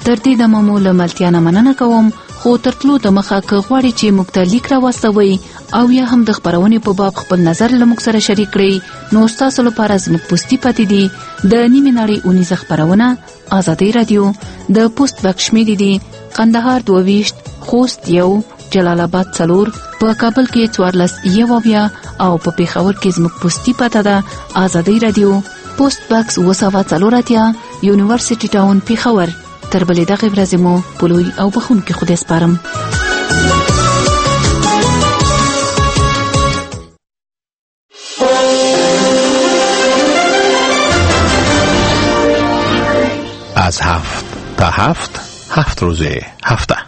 تر دې دمه مو له ملتیا نه مننه کوم، خو تر تلو د مخه که غواړئ چې موږ ته لیک راواستوئ او یا هم د خپرونې په باب خپل نظر له موږ سره شریک کړئ، نو ستاسو لپاره زموږ پوستي پاتې دي د نیمې نړۍ اونیزه خپرونه ازادي رادیو، د پوسټ بکس شمیرې دي قندهار 22، خوست 1، جلال آباد 4، په کابل کې 14 او په پیښور کې زموږ پوستي پته ده ازادي رادیو، پوسټ بکس 784، یونیورسيټي ټاون پیښور. تر بلې دغې ورځې مو په لوی او بخښونکي خدای سپارم.
از 7 تا 7، 7 روز هفته.